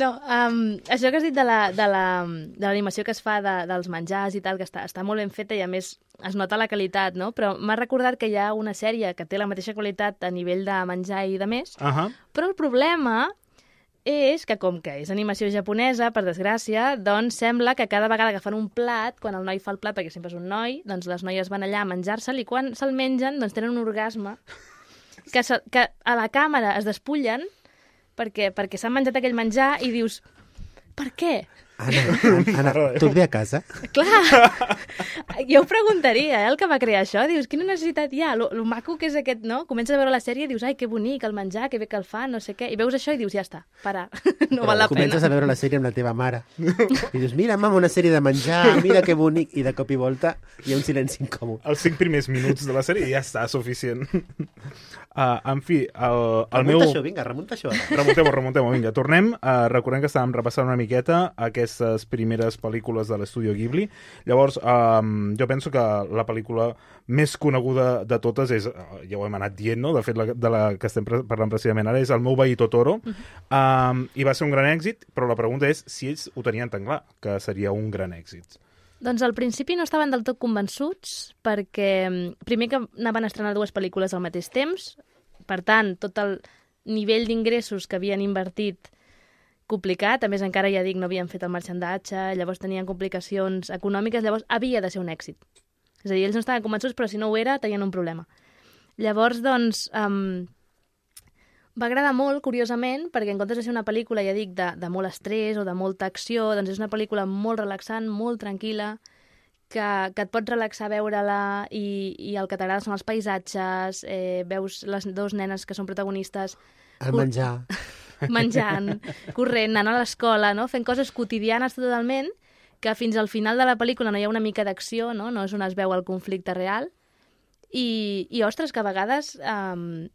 No, um, això que has dit de l'animació la, que es fa de, dels menjars i tal, que està, està molt ben feta i a més es nota la qualitat, no? Però m'ha recordat que hi ha una sèrie que té la mateixa qualitat a nivell de menjar i de més, uh -huh. però el problema és que, com que és animació japonesa, per desgràcia, doncs sembla que cada vegada que fan un plat, quan el noi fa el plat, perquè sempre és un noi, doncs les noies van allà a menjar-se'l i quan se'l mengen, doncs tenen un orgasme que, se, que a la càmera es despullen perquè, perquè s'han menjat aquell menjar i dius, per què? Anna, Anna, tu et ve a casa? Clar, jo ho preguntaria, eh, el que va crear això. Dius, quina necessitat hi ha? Lo, lo maco que és aquest, no? Comences a veure la sèrie i dius, ai, que bonic el menjar, que bé que el fa, no sé què. I veus això i dius, ja està, para, no val la pena. Comences a veure la sèrie amb la teva mare. I dius, mira, mama, una sèrie de menjar, mira que bonic. I de cop i volta hi ha un silenci incòmode. Els cinc primers minuts de la sèrie ja està suficient. Uh, en fi, el, el remunta meu... això, vinga, remunta això. Remuntem-ho, remuntem-ho, vinga. Tornem. Uh, recordem que estàvem repassant una miqueta aquest d'aquestes primeres pel·lícules de l'estudio Ghibli. Llavors, um, jo penso que la pel·lícula més coneguda de totes és, ja ho hem anat dient, no? De fet, la, de la que estem parlant precisament ara, és El meu veí Totoro, uh-huh. um, i va ser un gran èxit, però la pregunta és si ells ho tenien tan clar, que seria un gran èxit. Doncs al principi no estaven del tot convençuts, perquè primer que anaven a estrenar dues pel·lícules al mateix temps, per tant, tot el nivell d'ingressos que havien invertit complicat, a més encara ja dic, no havien fet el marxandatge, llavors tenien complicacions econòmiques, llavors havia de ser un èxit. És a dir, ells no estaven convençuts, però si no ho era, tenien un problema. Llavors, doncs, um, va agradar molt, curiosament, perquè en comptes de ser una pel·lícula, ja dic, de, de molt estrès o de molta acció, doncs és una pel·lícula molt relaxant, molt tranquil·la, que, que et pots relaxar a veure-la i, i el que t'agrada són els paisatges, eh, veus les dues nenes que són protagonistes... El menjar. Menjant, corrent, anant a l'escola, no? Fent coses quotidianes totalment, que fins al final de la pel·lícula no hi ha una mica d'acció, no? No és on es veu el conflicte real. I, i ostres, que a vegades um,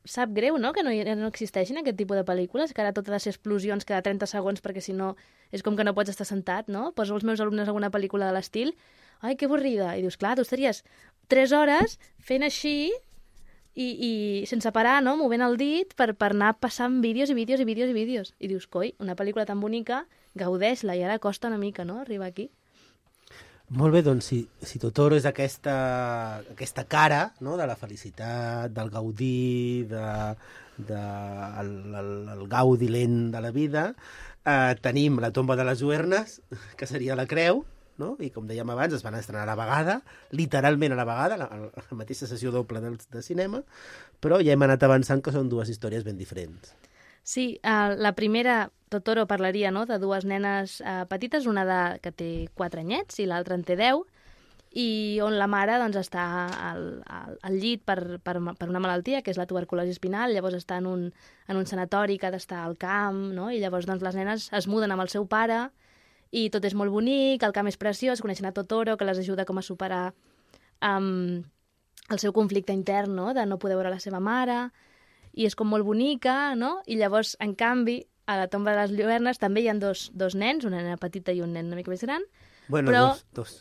sap greu, no?, que no, no existeixin aquest tipus de pel·lícules, que ara tot ha de ser explosions cada trenta segons, perquè si no és com que no pots estar sentat, no? Poso als meus alumnes alguna pel·lícula de l'estil, ai, que avorrida, i dius, clar, tu estaries tres hores fent així i, i sense parar, no?, movent el dit per, per anar passant vídeos i vídeos i vídeos i vídeos. I dius, coi, una pel·lícula tan bonica, gaudeix-la, i ara costa una mica, no?, arribar aquí. Molt bé, doncs, si, si Totoro és aquesta, aquesta cara, no?, de la felicitat, del gaudir, de, de, el, el, el gaudi lent de la vida, eh, tenim La tomba de les lluernes, que seria la creu, no?, i com dèiem abans, es van estrenar a la vegada, literalment a la vegada, la, la mateixa sessió doble de, de cinema, però ja hem anat avançant que són dues històries ben diferents. Sí, uh, la primera, Totoro, parlaria, no?, de dues nenes uh, petites, una de, que té quatre anyets i l'altra en té deu, i on la mare doncs, està al, al, al llit per, per, per una malaltia, que és la tuberculosi espinal, llavors està en un, en un sanatori que ha d'estar al camp, no?, i llavors doncs, les nenes es muden amb el seu pare, i tot és molt bonic, el camp és preciós, coneixen a Totoro, que les ajuda com a superar um, el seu conflicte intern, no?, de no poder veure la seva mare, i és com molt bonica, no? I llavors, en canvi, a la tomba de les lluernes també hi ha dos, dos nens, una nena petita i un nen una mica més gran. Bueno, però... dos, dos.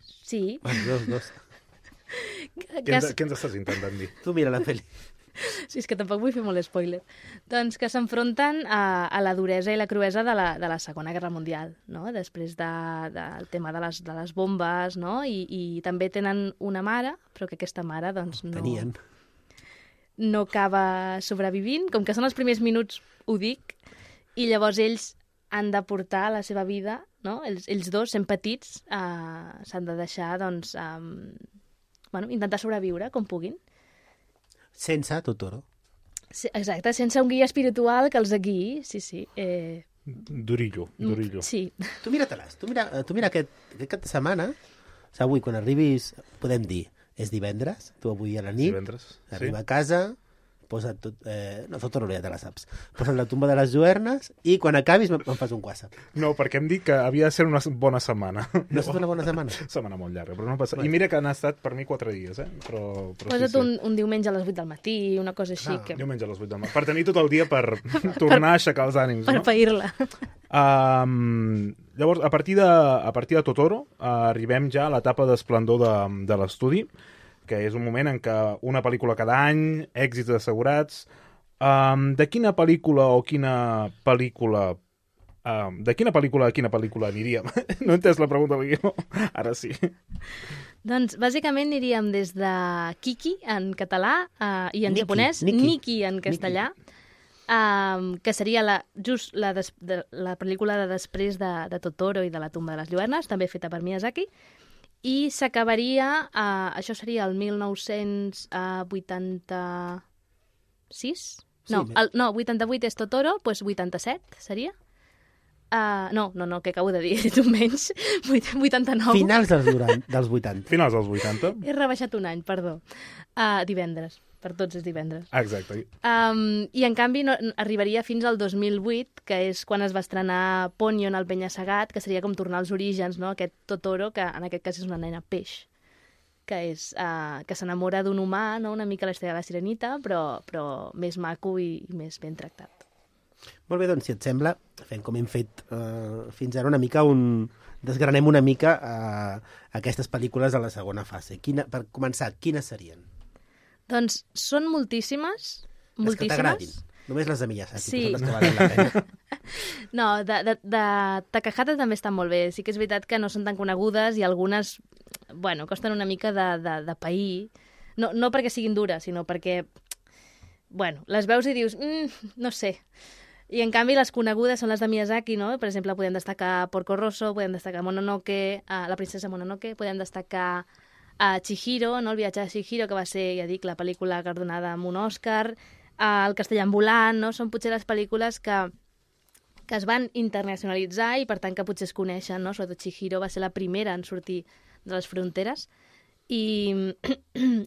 Sí. Bueno, dos, dos. Que... Què, ens, què ens estàs intentant dir? Tu mira la pel·li. Sí, és que tampoc vull fer molt spoiler. Doncs que s'enfronten a, a la duresa i la cruesa de la, de la Segona Guerra Mundial, no? Després del de, de tema de les, de les bombes, no? I, i també tenen una mare, però que aquesta mare, doncs, no... Tenien. no acaba sobrevivint, com que són els primers minuts ho dic, i llavors ells han de portar la seva vida, no? Ells, ells dos, sent petits, eh, s'han de deixar, doncs, eh, bueno, intentar sobreviure com puguin. Sense Totoro. Sí, exacte, sense un guia espiritual que els guiï, sí, sí. Eh... Durillo, durillo. Sí. Tu mira-te-les, tu mira, tu mira aquest, aquest cap de setmana, o sigui, avui, quan arribis, podem dir, és divendres, tu avui a la nit, divendres, arriba sí. a casa, posa't tot... Eh, no, Totoro ja te la saps. Posa't La tomba de les lluernes i quan acabis me'n fas un WhatsApp. No, perquè em dic que havia de ser una bona setmana. No ha estat una bona setmana? Setmana molt llarga, però no passa... I mira que han estat per mi quatre dies, eh? Però, però Posa't sí, sí. un, un diumenge a les vuit del matí, una cosa així. Ah, que... diumenge a les vuit del matí. Per tenir tot el dia per tornar a aixecar els ànims, per no? Per pair-la. Um, llavors, a partir de, a partir de Totoro, uh, arribem ja a l'etapa d'esplendor de, de l'estudi, que és un moment en què una pel·lícula cada any, èxits assegurats. Um, de quina pel·lícula o quina pel·lícula... Um, de quina pel·lícula a quina pel·lícula aniríem? No he entès la pregunta, no? Ara sí. Doncs, bàsicament, aniríem des de Kiki, en català, uh, i en Nikki, japonès, Nikki. Nikki, en castellà, um, que seria la, just la, des, de, la pel·lícula de després de, de Totoro i de La tomba de les lluernes, també feta per Miyazaki, i s'acabaria, uh, això seria el mil nou-cents vuitanta-sis? Sí, No, sí, el, no, vuitanta-vuit és Totoro, doncs vuitanta-set seria? Uh, no, no, no, que acabo de dir, tu menys, vuitanta-nou. Finals dels, durant, dels vuitanta. Finals dels vuitanta. He rebaixat un any, perdó. Uh, divendres, per tots és divendres. Exacte. Um, I en canvi no, arribaria fins al dos mil vuit, que és quan es va estrenar Ponyo en el penya-segat, que seria com tornar als orígens, no? Aquest Totoro, que en aquest cas és una nena peix, que és uh, que s'enamora d'un humà, no? Una mica la història de la Sirenita, però, però més maco i, i més ben tractat. Molt bé, doncs, si et sembla, fem com hem fet uh, fins ara una mica un... desgranem una mica uh, aquestes pel·lícules a la segona fase. Quina, per començar, quines serien? Doncs són moltíssimes. Les moltíssimes. que t'agradin. Només les de Miyazaki, Sí. que són les que valen la pena. No, de, de, de Takahata també estan molt bé. Sí que és veritat que no són tan conegudes i algunes, bueno, costen una mica de, de, de pair. No, no perquè siguin dures, sinó perquè, bueno, les veus i dius, mm, no sé. I en canvi les conegudes són les de Miyazaki, no? Per exemple, podem destacar Porco Rosso, podem destacar Mononoke, uh, La princesa Mononoke, podem destacar uh, Chihiro, no? El viatge de Chihiro, que va ser, ja dic, la pel·lícula guardonada amb un Òscar, uh, El castell ambulant, no? Són potser les pel·lícules que, que es van internacionalitzar i per tant que potser es coneixen, no? Sobretot Chihiro va ser la primera en sortir de les fronteres i,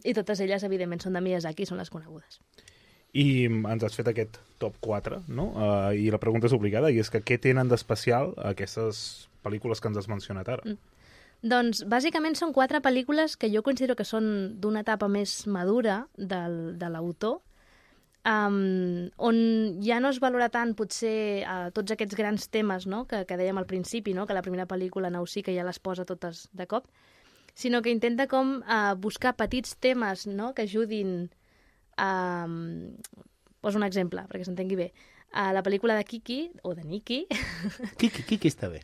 i totes elles, evidentment, són de Miyazaki, són les conegudes. I ens has fet aquest top quatre, no? Uh, I la pregunta és obligada, i és que què tenen d'especial aquestes pel·lícules que ens has mencionat ara? Mm. Doncs, bàsicament, són quatre pel·lícules que jo considero que són d'una etapa més madura del, de l'autor, um, on ja no es valora tant, potser, uh, tots aquests grans temes, no?, que, que dèiem al principi, no?, que la primera pel·lícula Nausicaa ja les posa totes de cop, sinó que intenta com uh, buscar petits temes, no?, que ajudin. Um, poso un exemple, perquè s'entengui bé. Uh, la pel·lícula de Kiki, o de Nikki... Kiki, Kiki està bé.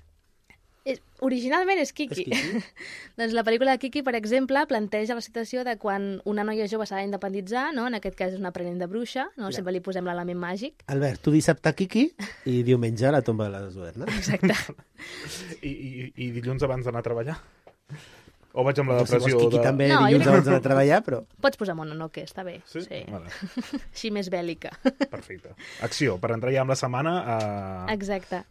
És, originalment és Kiki. És Kiki? Doncs la pel·lícula de Kiki, per exemple, planteja la situació de quan una noia jove s'ha d'independitzar, no? En aquest cas és una aprenent de bruixa, no? Ja. Sempre li posem l'element màgic. Albert, tu dissabte Kiki i diumenge a la tomba de les Duernes. Exacte. I, i, I dilluns abans d'anar a treballar? O vaig amb la No, si vols depressió Kiki de... també No, dilluns jo- abans d'anar a treballar, però... Pots posar Mononoke, està bé. Sí? Vale. Així més bèl·lica. Perfecte. Acció, per entrar ja amb la setmana... Uh... Exacte.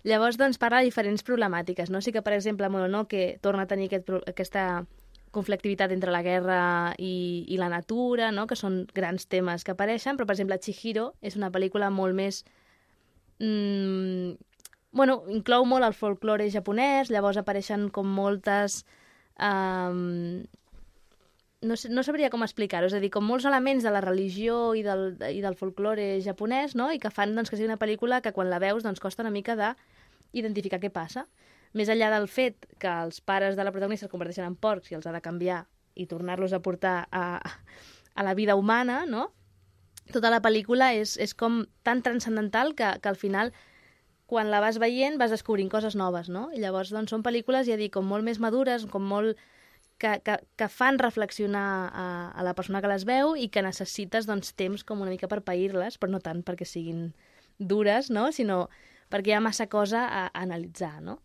Llavors, doncs, parla de diferents problemàtiques, no? Sí que, per exemple, Mononoke torna a tenir aquest, pro- aquesta conflictivitat entre la guerra i, i la natura, no? Que són grans temes que apareixen, però, per exemple, Chihiro és una pel·lícula molt més... Mm, bueno, inclou molt el folklore japonès, llavors apareixen com moltes... Um, no, sé, no sabria com explicar-ho, és a dir, com molts elements de la religió i del, i del folklore japonès, no?, i que fan doncs, que sigui una pel·lícula que quan la veus doncs, costa una mica d'identificar què passa. Més enllà del fet que els pares de la protagonista es converteixen en porcs i els ha de canviar i tornar-los a portar a, a la vida humana, no?, tota la pel·lícula és, és com tan transcendental que, que al final, quan la vas veient, vas descobrint coses noves, no? I llavors, doncs, són pel·lícules, ja dic, com molt més madures, com molt... que, que, que fan reflexionar a, a la persona que les veu i que necessites, doncs, temps com una mica per pair-les, però no tant perquè siguin dures, no? Sinó perquè hi ha massa cosa a, a analitzar, no?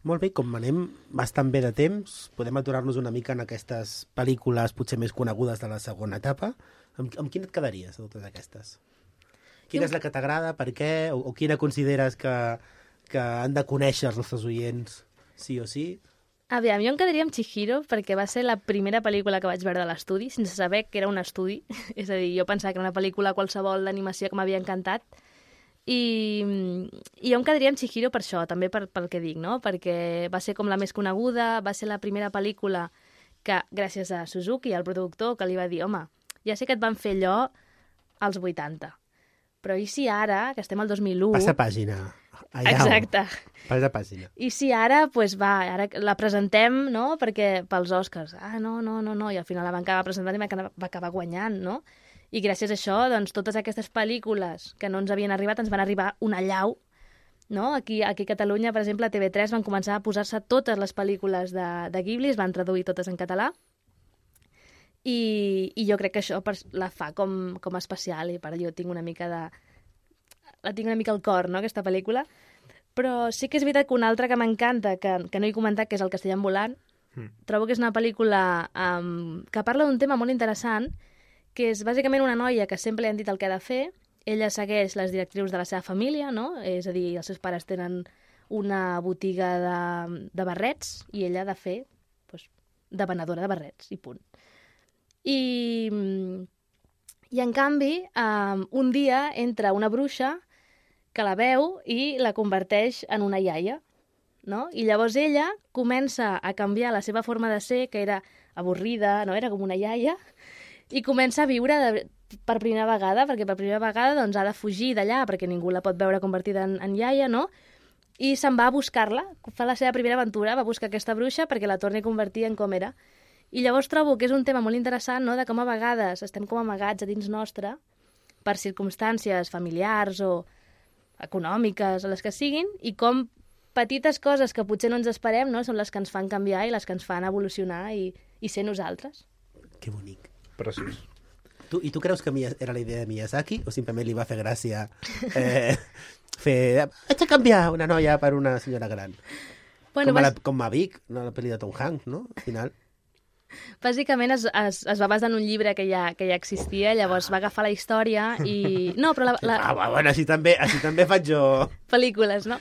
Molt bé, com anem bastant bé de temps, podem aturar-nos una mica en aquestes pel·lícules potser més conegudes de la segona etapa. Amb, amb quina et quedaries, de totes aquestes? Quina és la que t'agrada, per què, o, o quina consideres que, que han de conèixer els nostres oients, sí o sí? Aviam, jo em quedaria amb Chihiro perquè va ser la primera pel·lícula que vaig veure de l'estudi, sense saber que era un estudi. És a dir, jo pensava que era una pel·lícula qualsevol d'animació que m'havia encantat. I, I jo em quedaria amb Chihiro per això, també per, pel que dic, no? Perquè va ser com la més coneguda, va ser la primera pel·lícula que, gràcies a Suzuki, el productor, que li va dir, home, ja sé que et van fer allò als vuitanta, però i si ara, que estem al dos mil u... Passa pàgina. Allà Exacte. Passa pàgina. I si ara, pues va, ara la presentem, no?, perquè pels Oscars. Ah, no, no, no, no, i al final la van acabar presentant i va acabar, va acabar guanyant, no? I gràcies a això, doncs, totes aquestes pel·lícules que no ens havien arribat, ens van arribar una llau, no? Aquí, aquí a Catalunya, per exemple, a T V tres van començar a posar-se totes les pel·lícules de, de Ghibli, es van traduir totes en català, i, i jo crec que això la fa com, com especial, i per jo tinc una mica de... la tinc una mica al cor, no?, aquesta pel·lícula. Però sí que és veritat que una altra que m'encanta, que, que no he comentat, que és El castell ambulant, mm. trobo que és una pel·lícula um, que parla d'un tema molt interessant, que és bàsicament una noia que sempre li han dit el que ha de fer, ella segueix les directrius de la seva família, no?, és a dir, els seus pares tenen una botiga de, de barrets i ella ha de fer doncs, de venedora de barrets, i punt. I, i en canvi, um, un dia entra una bruixa que la veu i la converteix en una iaia, no? I llavors ella comença a canviar la seva forma de ser, que era avorrida, no? Era com una iaia, i comença a viure de, per primera vegada, perquè per primera vegada doncs, ha de fugir d'allà, perquè ningú la pot veure convertida en, en iaia, no? I se'n va a buscar-la, fa la seva primera aventura, va buscar aquesta bruixa perquè la torni a convertir en com era. I llavors trobo que és un tema molt interessant, no?, de com a vegades estem com amagats a dins nostre per circumstàncies familiars o econòmiques o les que siguin, i com petites coses que potser no ens esperem, no?, són les que ens fan canviar i les que ens fan evolucionar i, i ser nosaltres. Que bonic. Preciós. Tu, I tu creus que era la idea de Miyazaki o simplement li va fer gràcia eh, fer... Haig de canviar una noia per una senyora gran? Bueno, com, a la, bàs... com Mavic, no, la pel·li de Tom Hanks, no? Al final... Bàsicament es, es, es va basar en un llibre que ja, que ja existia, llavors va agafar la història i... No, però la... la... Ah, bueno, així també, així també faig jo... Pel·lícules, no?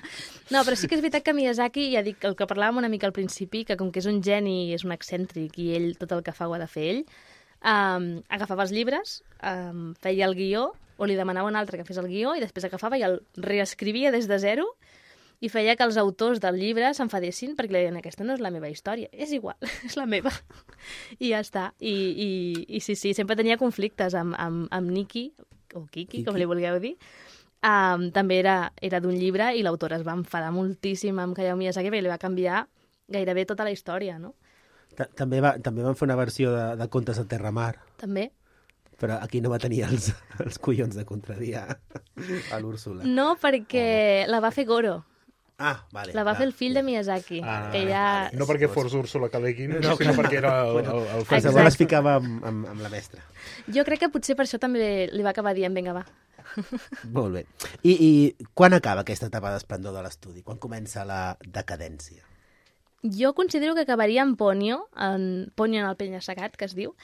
No, però sí que és veritat que Miyazaki, ja dic, el que parlàvem una mica al principi, que com que és un geni, és un excèntric i ell tot el que fa ho ha de fer ell, um, agafava els llibres, um, feia el guió, o li demanava un altre que fes el guió, i després agafava i el reescrivia des de zero, i feia que els autors del llibre s'enfadessin perquè li deien, aquesta no és la meva història, és igual, és la meva. I ja està. I, i, i sí, sí, sempre tenia conflictes amb, amb, amb Niki, o Kiki, Kiki, com li vulgueu dir. Um, també era, era d'un llibre i l'autora es va enfadar moltíssim amb Hayao Miyazaki perquè li va canviar gairebé tota la història, no? També, va, també van fer una versió de, de Contes a Terramar. També. Però aquí no va tenir els, els collons de contradir a, a l'Úrsula. No, perquè oh. la va fer Goro. Ah, vale. La va clar. fer el fill de Miyazaki. Ah, que ja... No perquè fos Úrsula K Le Guin, no, sinó perquè era el, el, el Qualsevol es ficava amb, amb, amb la mestra. Jo crec que potser per això també li va acabar dient, vinga, va. Molt bé. I, i quan acaba aquesta etapa d'esplendor de l'estudi? Quan comença la decadència? Jo considero que acabaria en Ponyo, en Ponyo en el penya-segat, que es diu,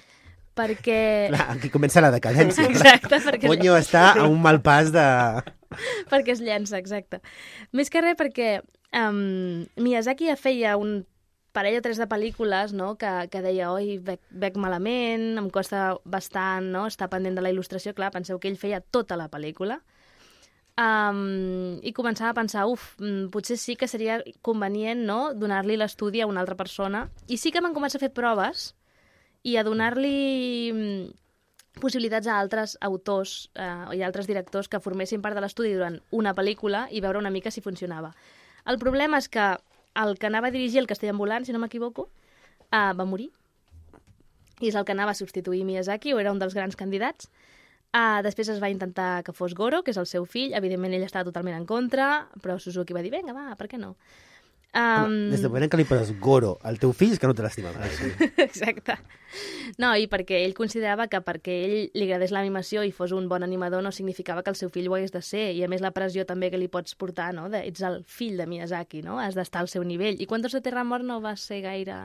perquè... Clar, aquí comença la decadència. Exacte, perquè... Ponyo està a un mal pas de... perquè es llença, exacte. Més que res perquè um, Miyazaki ja feia un parell o tres de pel·lícules, no?, que, que deia, oi, bec, bec malament, em costa bastant, no?, estar pendent de la il·lustració. Clar, penseu que ell feia tota la pel·lícula. Um, I començava a pensar, uf, potser sí que seria convenient, no?, donar-li l'estudi a una altra persona. I sí que van començar a fer proves i a donar-li possibilitats a altres autors eh, i altres directors que formessin part de l'estudi durant una pel·lícula i veure una mica si funcionava. El problema és que el que anava a dirigir el Castell ambulant, si no m'equivoco, eh, va morir. I és el que anava a substituir Miyazaki, o era un dels grans candidats. Eh, després es va intentar que fos Goro, que és el seu fill. Evidentment ell estava totalment en contra, però Suzuki va dir, vinga, va, per què no? Um... Des del moment que li poses Goro al teu fill és que no te l'estima més. Exacte. No, i perquè ell considerava que perquè ell li agradés l'animació i fos un bon animador no significava que el seu fill ho hagués de ser, i a més la pressió també que li pots portar, no? De, ets el fill de Miyazaki, no? Has d'estar al seu nivell. I Cuentos de Terramar no va ser gaire...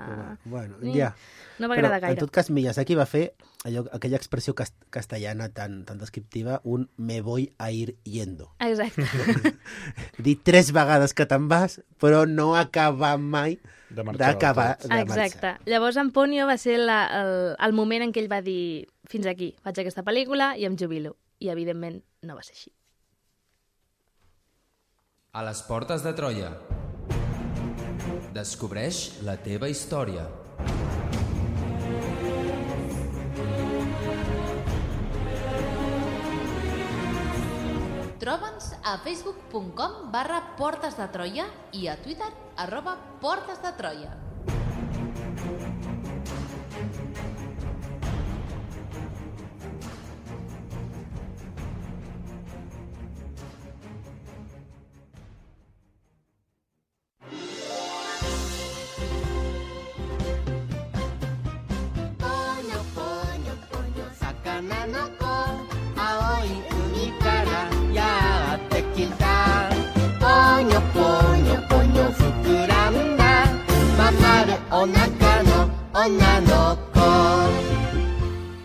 Bueno, Ni... ja. No va Però, agradar gaire. en tot cas, Miyazaki va fer allò, aquella expressió cast castellana tan, tan descriptiva, un me voy a ir yendo. Exacte. Dir tres vegades que te'n vas, però no acabar mai d'acabar de marxar. Exacte. Llavors, en Ponyo va ser la, el, el moment en què ell va dir fins aquí, faig aquesta pel·lícula i em jubilo. I, evidentment, no va ser així. A les portes de Troia. Descobreix la teva història. Troba'ns a facebook punt com barra Portes de Troia i a Twitter arroba Portes de Troia.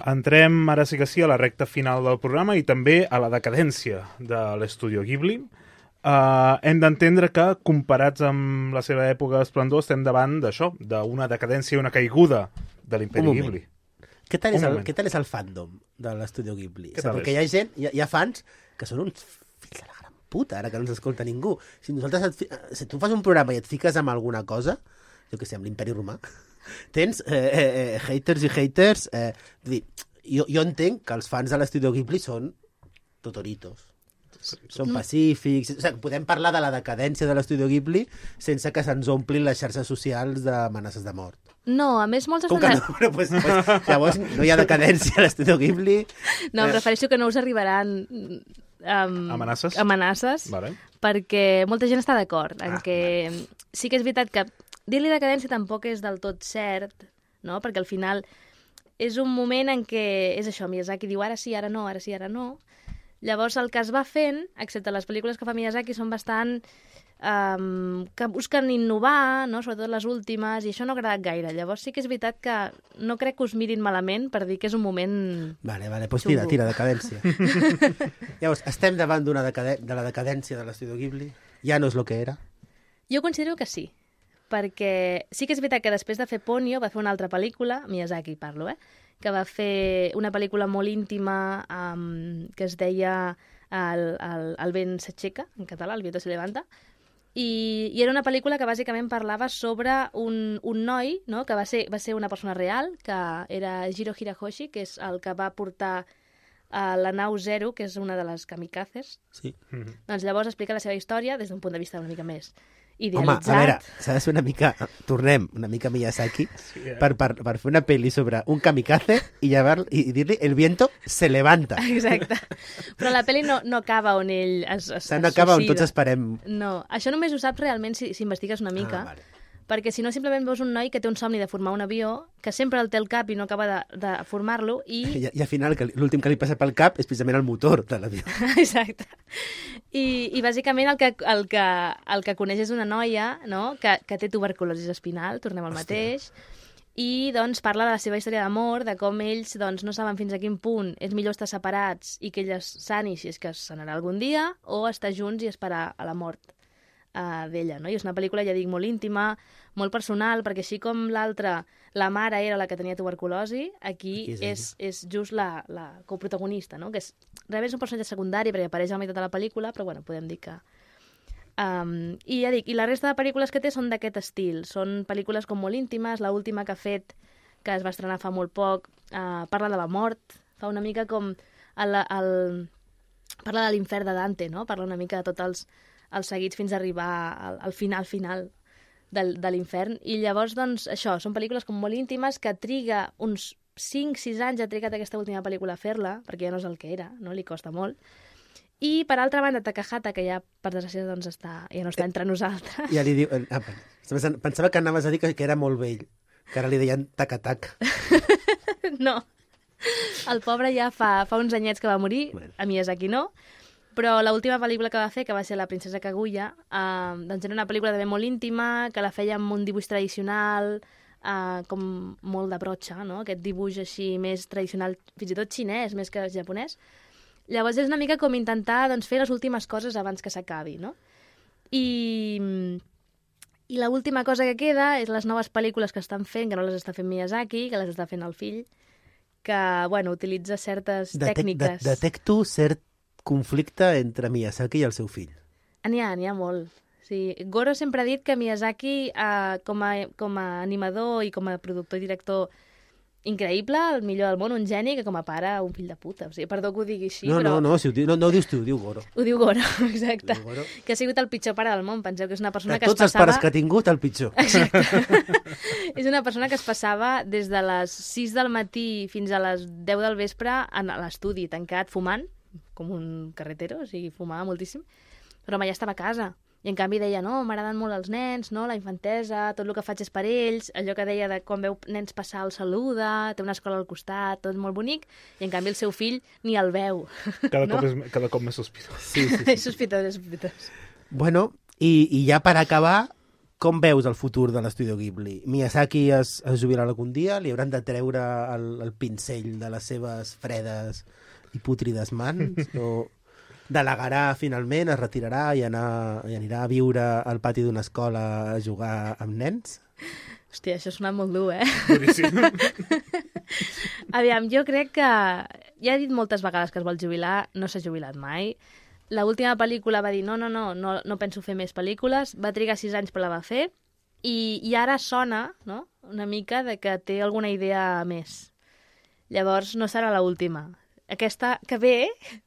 Entrem, ara sí que sí, a la recta final del programa i també a la decadència de l'Estudio Ghibli. Uh, hem d'entendre que, comparats amb la seva època d'esplendor, estem davant d'això, d'una decadència i una caiguda de l'Imperi Ghibli. Què tal, és el, què tal és el fandom de l'Estudio Ghibli? O sigui, perquè hi ha gent, hi ha, hi ha fans que són uns fills de la gran puta, ara que no ens escolta ningú. Si, nosaltres et, si tu fas un programa i et fiques amb alguna cosa, jo què sé, amb l'Imperi Romà, tens eh, eh, haters i haters, eh, dir, jo, jo entenc que els fans de l'Estudio Ghibli són totoritos. Són pacífics... O sigui, podem parlar de la decadència de l'Estudio Ghibli sense que se'ns omplin les xarxes socials d'amenaces de mort. No, a més, molts Com que estan... no? Bueno, pues, pues, llavors no hi ha decadència a l'Estudio Ghibli. No, em refereixo que no us arribaran um, Amenaces? amenaces Vale. perquè molta gent està d'acord en Ah, que sí que és veritat que dir-li decadència tampoc és del tot cert, no? Perquè al final és un moment en què és això, Miyazaki diu ara sí, ara no, ara sí, ara no. Llavors el que es va fent, excepte les pel·lícules que fa Miyazaki, són bastant... Um, que busquen innovar, no? Sobretot les últimes, i això no ha agradat gaire. Llavors sí que és veritat que no crec que us mirin malament per dir que és un moment... Vale, vale, doncs tira, xungo. tira, decadència. Llavors, estem davant d'una decade... de la decadència de l'Estudio Ghibli? Ja no és el que era? Jo considero que sí, perquè sí que és veritat que després de fer Ponyo va fer una altra pel·lícula, Miyazaki parlo, eh? Que va fer una pel·lícula molt íntima um, que es deia El, el, el vent s'aixeca, en català, El viento se levanta, i, i era una pel·lícula que bàsicament parlava sobre un, un noi, no? Que va ser, va ser una persona real, que era Jiro Hirahoshi, que és el que va portar a la nau Zero, que és una de les kamikazes. Sí. Doncs llavors explica la seva història des d'un punt de vista una mica més Home, idealitzat. a veure, s'ha de ser una mica... Tornem una mica a Miyazaki Sí, eh? per, per, per fer una pel·li sobre un kamikaze i, llevar, i dir-li el viento se levanta. Exacte. Però la pel·li no, no acaba on ell es, es, O sigui, no es acaba on suïcida. tots esperem... No, això només ho saps realment si, si investigues una mica, Ah, vale. perquè si no simplement veus un noi que té un somni de formar un avió, que sempre el té al cap i no acaba de, de formar-lo, i... I, I al final que l'últim que li passa pel cap és precisament el motor de l'avió. Exacte. I, i bàsicament el que, el, que, el que coneix és una noia, no?, que, que té tuberculosi espinal, tornem al mateix, i doncs parla de la seva història d'amor, de com ells doncs, no saben fins a quin punt és millor estar separats i que ella sani si és que se n'anarà algun dia, o estar junts i esperar a la mort uh, d'ella, no? I és una pel·lícula, ja dic, molt íntima, molt personal, perquè així com l'altra, la mare era la que tenia tuberculosi, aquí, Aquí és és, és just la, la coprotagonista, no? Que és, realment és un personatge secundari perquè apareix a la meitat de la pel·lícula, però bueno, podem dir que... Um, I ja dic, i la resta de pel·lícules que té són d'aquest estil, són pel·lícules com molt íntimes, la última que ha fet, que es va estrenar fa molt poc, uh, parla de la mort, fa una mica com el, el... parla de l'infern de Dante, no? Parla una mica de tots els, els seguits fins a arribar al, al final final del, de l'infern. I llavors, doncs, això, són pel·lícules com molt íntimes que triga uns cinc sis anys, ha trigat aquesta última pel·lícula a fer-la, perquè ja no és el que era, no? Li costa molt. I, per altra banda, Takahata, que ja, per desgràcia, doncs, està, ja no està entre nosaltres. Ja li diu... Ah, pensava que anaves a dir que, que era molt vell, que ara li deien tac-a-tac. No. El pobre ja fa, fa uns anyets que va morir, Bueno. a Miyazaki no, però l'última pel·lícula que va fer, que va ser La princesa Kaguya, eh, doncs era una pel·lícula també molt íntima, que la feia amb un dibuix tradicional, eh, com molt de brotxa, no? Aquest dibuix així més tradicional, fins i tot xinès, més que japonès. Llavors és una mica com intentar doncs, fer les últimes coses abans que s'acabi, no? I, i l'última cosa que queda és les noves pel·lícules que estan fent, que no les està fent Miyazaki, que les està fent el fill, que, bueno, utilitza certes Detec, tècniques. de, detecto cert conflicte entre Miyazaki i el seu fill. N'hi ha, n'hi ha molt. Sí. Goro sempre ha dit que Miyazaki, eh, com, a, com a animador i com a productor i director, increïble, el millor del món, un geni, que com a pare, un fill de puta. O sigui, perdó que ho digui així, No, però... no, no, si ho diu, no, no ho dius tu, ho diu Goro. Ho diu Goro, exacte. Ho diu Goro. Que ha sigut el pitjor pare del món. Penseu que és una persona De que es tots els passava... pares que ha tingut, el pitjor. Exacte. És una persona que es passava des de les sis del matí fins a les deu del vespre a l'estudi, tancat, fumant, com un carretero, o sigui, fumava moltíssim. Però mai estava a casa. I en canvi deia, no, m'agraden molt els nens, no, la infantesa, tot el que faig és per ells, allò que deia de quan veu nens passar el saluda, té una escola al costat, tot molt bonic, i en canvi el seu fill ni el veu. Cada, no? cop, és, cada cop més sospitós. Sí, sí, És sospitós, és sospitós. Bueno, i, i ja per acabar, com veus el futur de l'Estudio Ghibli? Miyazaki es, es jubilarà algun dia? Li hauran de treure el, el pincell de les seves fredes i pútrides mans? O delegarà finalment, es retirarà i, anar, i anirà a viure al pati d'una escola a jugar amb nens? Hòstia, això ha sonat molt dur, eh? Duríssim. Aviam, jo crec que... Ja he dit moltes vegades que es vol jubilar, no s'ha jubilat mai. La última pel·lícula va dir no, no, no, no, no penso fer més pel·lícules, va trigar sis anys però la va fer, i, i ara sona, no?, una mica de que té alguna idea més. Llavors no serà l'última. Aquesta que ve,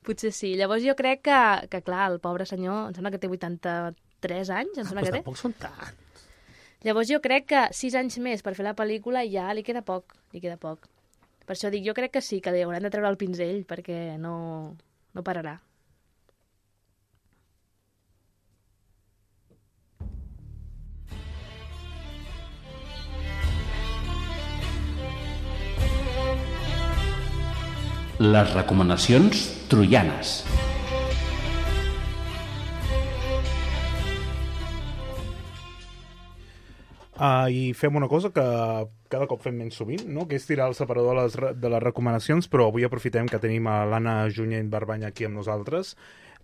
potser sí. Llavors jo crec que, que clar, el pobre senyor, em sembla que té vuitanta-tres anys, em sembla Ah, que doncs té. tampoc són tants. Llavors jo crec que sis anys més per fer la pel·lícula ja li queda poc, li queda poc. Per això dic, jo crec que sí, que li hauran de treure el pinzell perquè no, no pararà. Les recomanacions troianes. Uh, I fem una cosa que cada cop fem menys sovint, no? Que és tirar el separador de les, re- de les recomanacions, però avui aprofitem que tenim a l'Anna Junyent Barbany aquí amb nosaltres.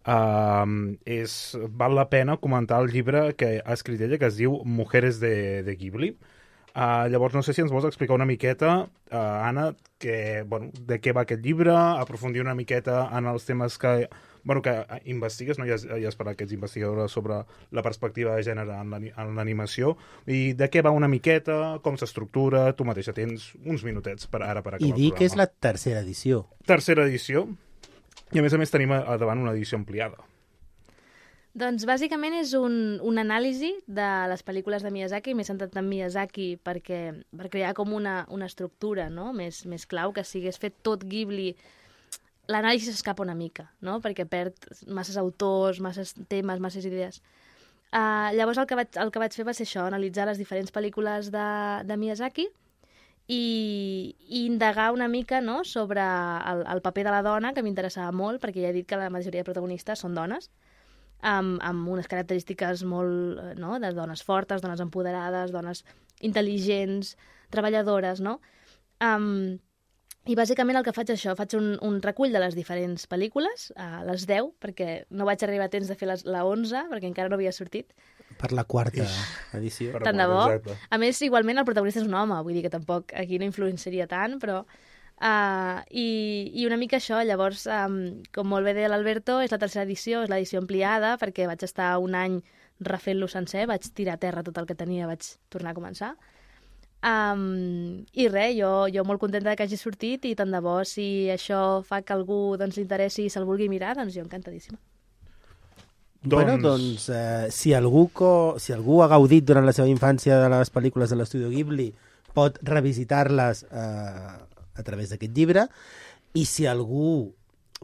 Uh, és, val la pena comentar el llibre que ha escrit ella, que es diu Mujeres de, de Ghibli. Uh, llavors, no sé si ens vols explicar una miqueta, uh, Anna, que, bueno, de què va aquest llibre, aprofundir una miqueta en els temes que, bueno, que investigues, no? Ja, has- ja has parlat que ets investigadora sobre la perspectiva de gènere en l'ani- en l'animació, i de què va una miqueta, com s'estructura, tu mateixa tens uns minutets per ara per acabar I el dir programa. que és la tercera edició. Tercera edició, i a més a més tenim a, a davant una edició ampliada. Doncs bàsicament és un, un anàlisi de les pel·lícules de Miyazaki, m'he centrat en Miyazaki perquè, per crear com una, una estructura, no? més, més clau, que si hagués fet tot Ghibli, l'anàlisi s'escapa una mica, no? Perquè perd masses autors, masses temes, masses idees. Uh, llavors el que, vaig, el que vaig fer va ser això, analitzar les diferents pel·lícules de, de Miyazaki i, i indagar una mica, no? Sobre el, el paper de la dona, que m'interessava molt, perquè ja he dit que la majoria de protagonistes són dones, amb, amb unes característiques molt, eh, no? De dones fortes, dones empoderades, dones intel·ligents, treballadores, no? Um, I bàsicament el que faig és això, faig un, un recull de les diferents pel·lícules, a les deu, perquè no vaig arribar a temps de fer les, la onze, perquè encara no havia sortit. Per la quarta edició. Per Tant de bo. Exacte. A més, igualment, el protagonista és un home, vull dir que tampoc aquí no influenciaria tant, però... Uh, i, I una mica això, llavors, um, com molt bé deia l'Alberto, és la tercera edició, és l'edició ampliada, perquè vaig estar un any refent-lo sencer, vaig tirar a terra tot el que tenia, vaig tornar a començar. Um, I res, jo, jo molt contenta que hagi sortit i tant de bo, si això fa que algú doncs, li interessi i se'l vulgui mirar, doncs jo encantadíssima. Doncs... Bueno, doncs, eh, si, algú co... si algú ha gaudit durant la seva infància de les pel·lícules de l'Estudio Ghibli, pot revisitar-les eh, a través d'aquest llibre, i si algú,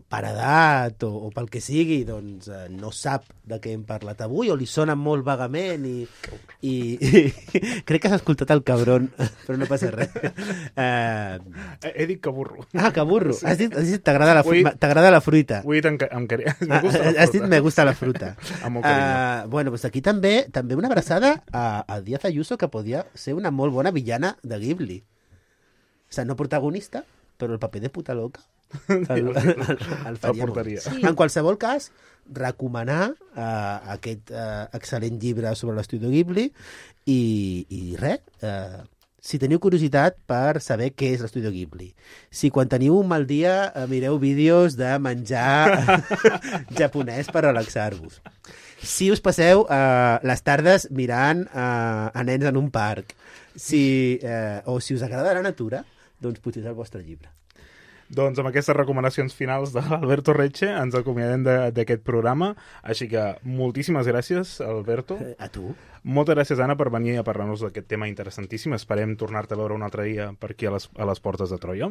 per edat o, o pel que sigui, doncs eh, no sap de què hem parlat avui, o li sona molt vagament, i, i, i crec que has escoltat el cabron, però no passa res. Eh, He, he dit que burro. ah, que burro. Has dit, has dit t'agrada la, Ui. fru- t'agrada la fruita. Ho he dit amb, ca- amb carinyo. Ah, Me gusta la has dit fruta. me gusta la fruta. Amb molt carinyo. Uh, bueno, doncs aquí també també una abraçada a, a Díaz Ayuso, que podia ser una molt bona villana de Ghibli. O sigui, no protagonista, però el paper de puta loca el, el, el, el faria molt. portaria. Sí. En qualsevol cas, recomanar uh, aquest uh, excel·lent llibre sobre l'Estudio Ghibli i, i res, uh, si teniu curiositat per saber què és l'Estudio Ghibli. Si quan teniu un mal dia eh, mireu vídeos de menjar japonès per relaxar-vos. Si us passeu eh, les tardes mirant eh, a nens en un parc, si, eh, o si us agrada la natura, doncs potser és el vostre llibre. Doncs amb aquestes recomanacions finals de l'Alberto Recce ens acomiadem de- d'aquest programa. Així que moltíssimes gràcies, Alberto. Eh, A tu. Moltes gràcies, Anna, per venir a parlar-nos d'aquest tema interessantíssim. Esperem tornar-te a veure un altre dia per aquí a les, a les portes de Troia.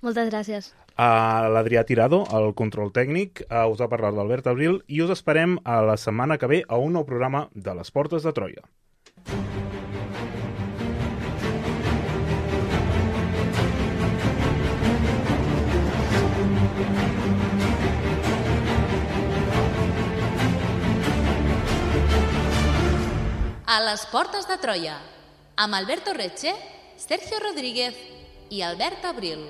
Moltes gràcies. A l'Adrià Tirado, el control tècnic, a us ha parlat l'Albert Abril i us esperem a la setmana que ve a un nou programa de les portes de Troia. A les portes de Troia, amb Alberto Recce, Sergio Rodríguez i Albert Abril.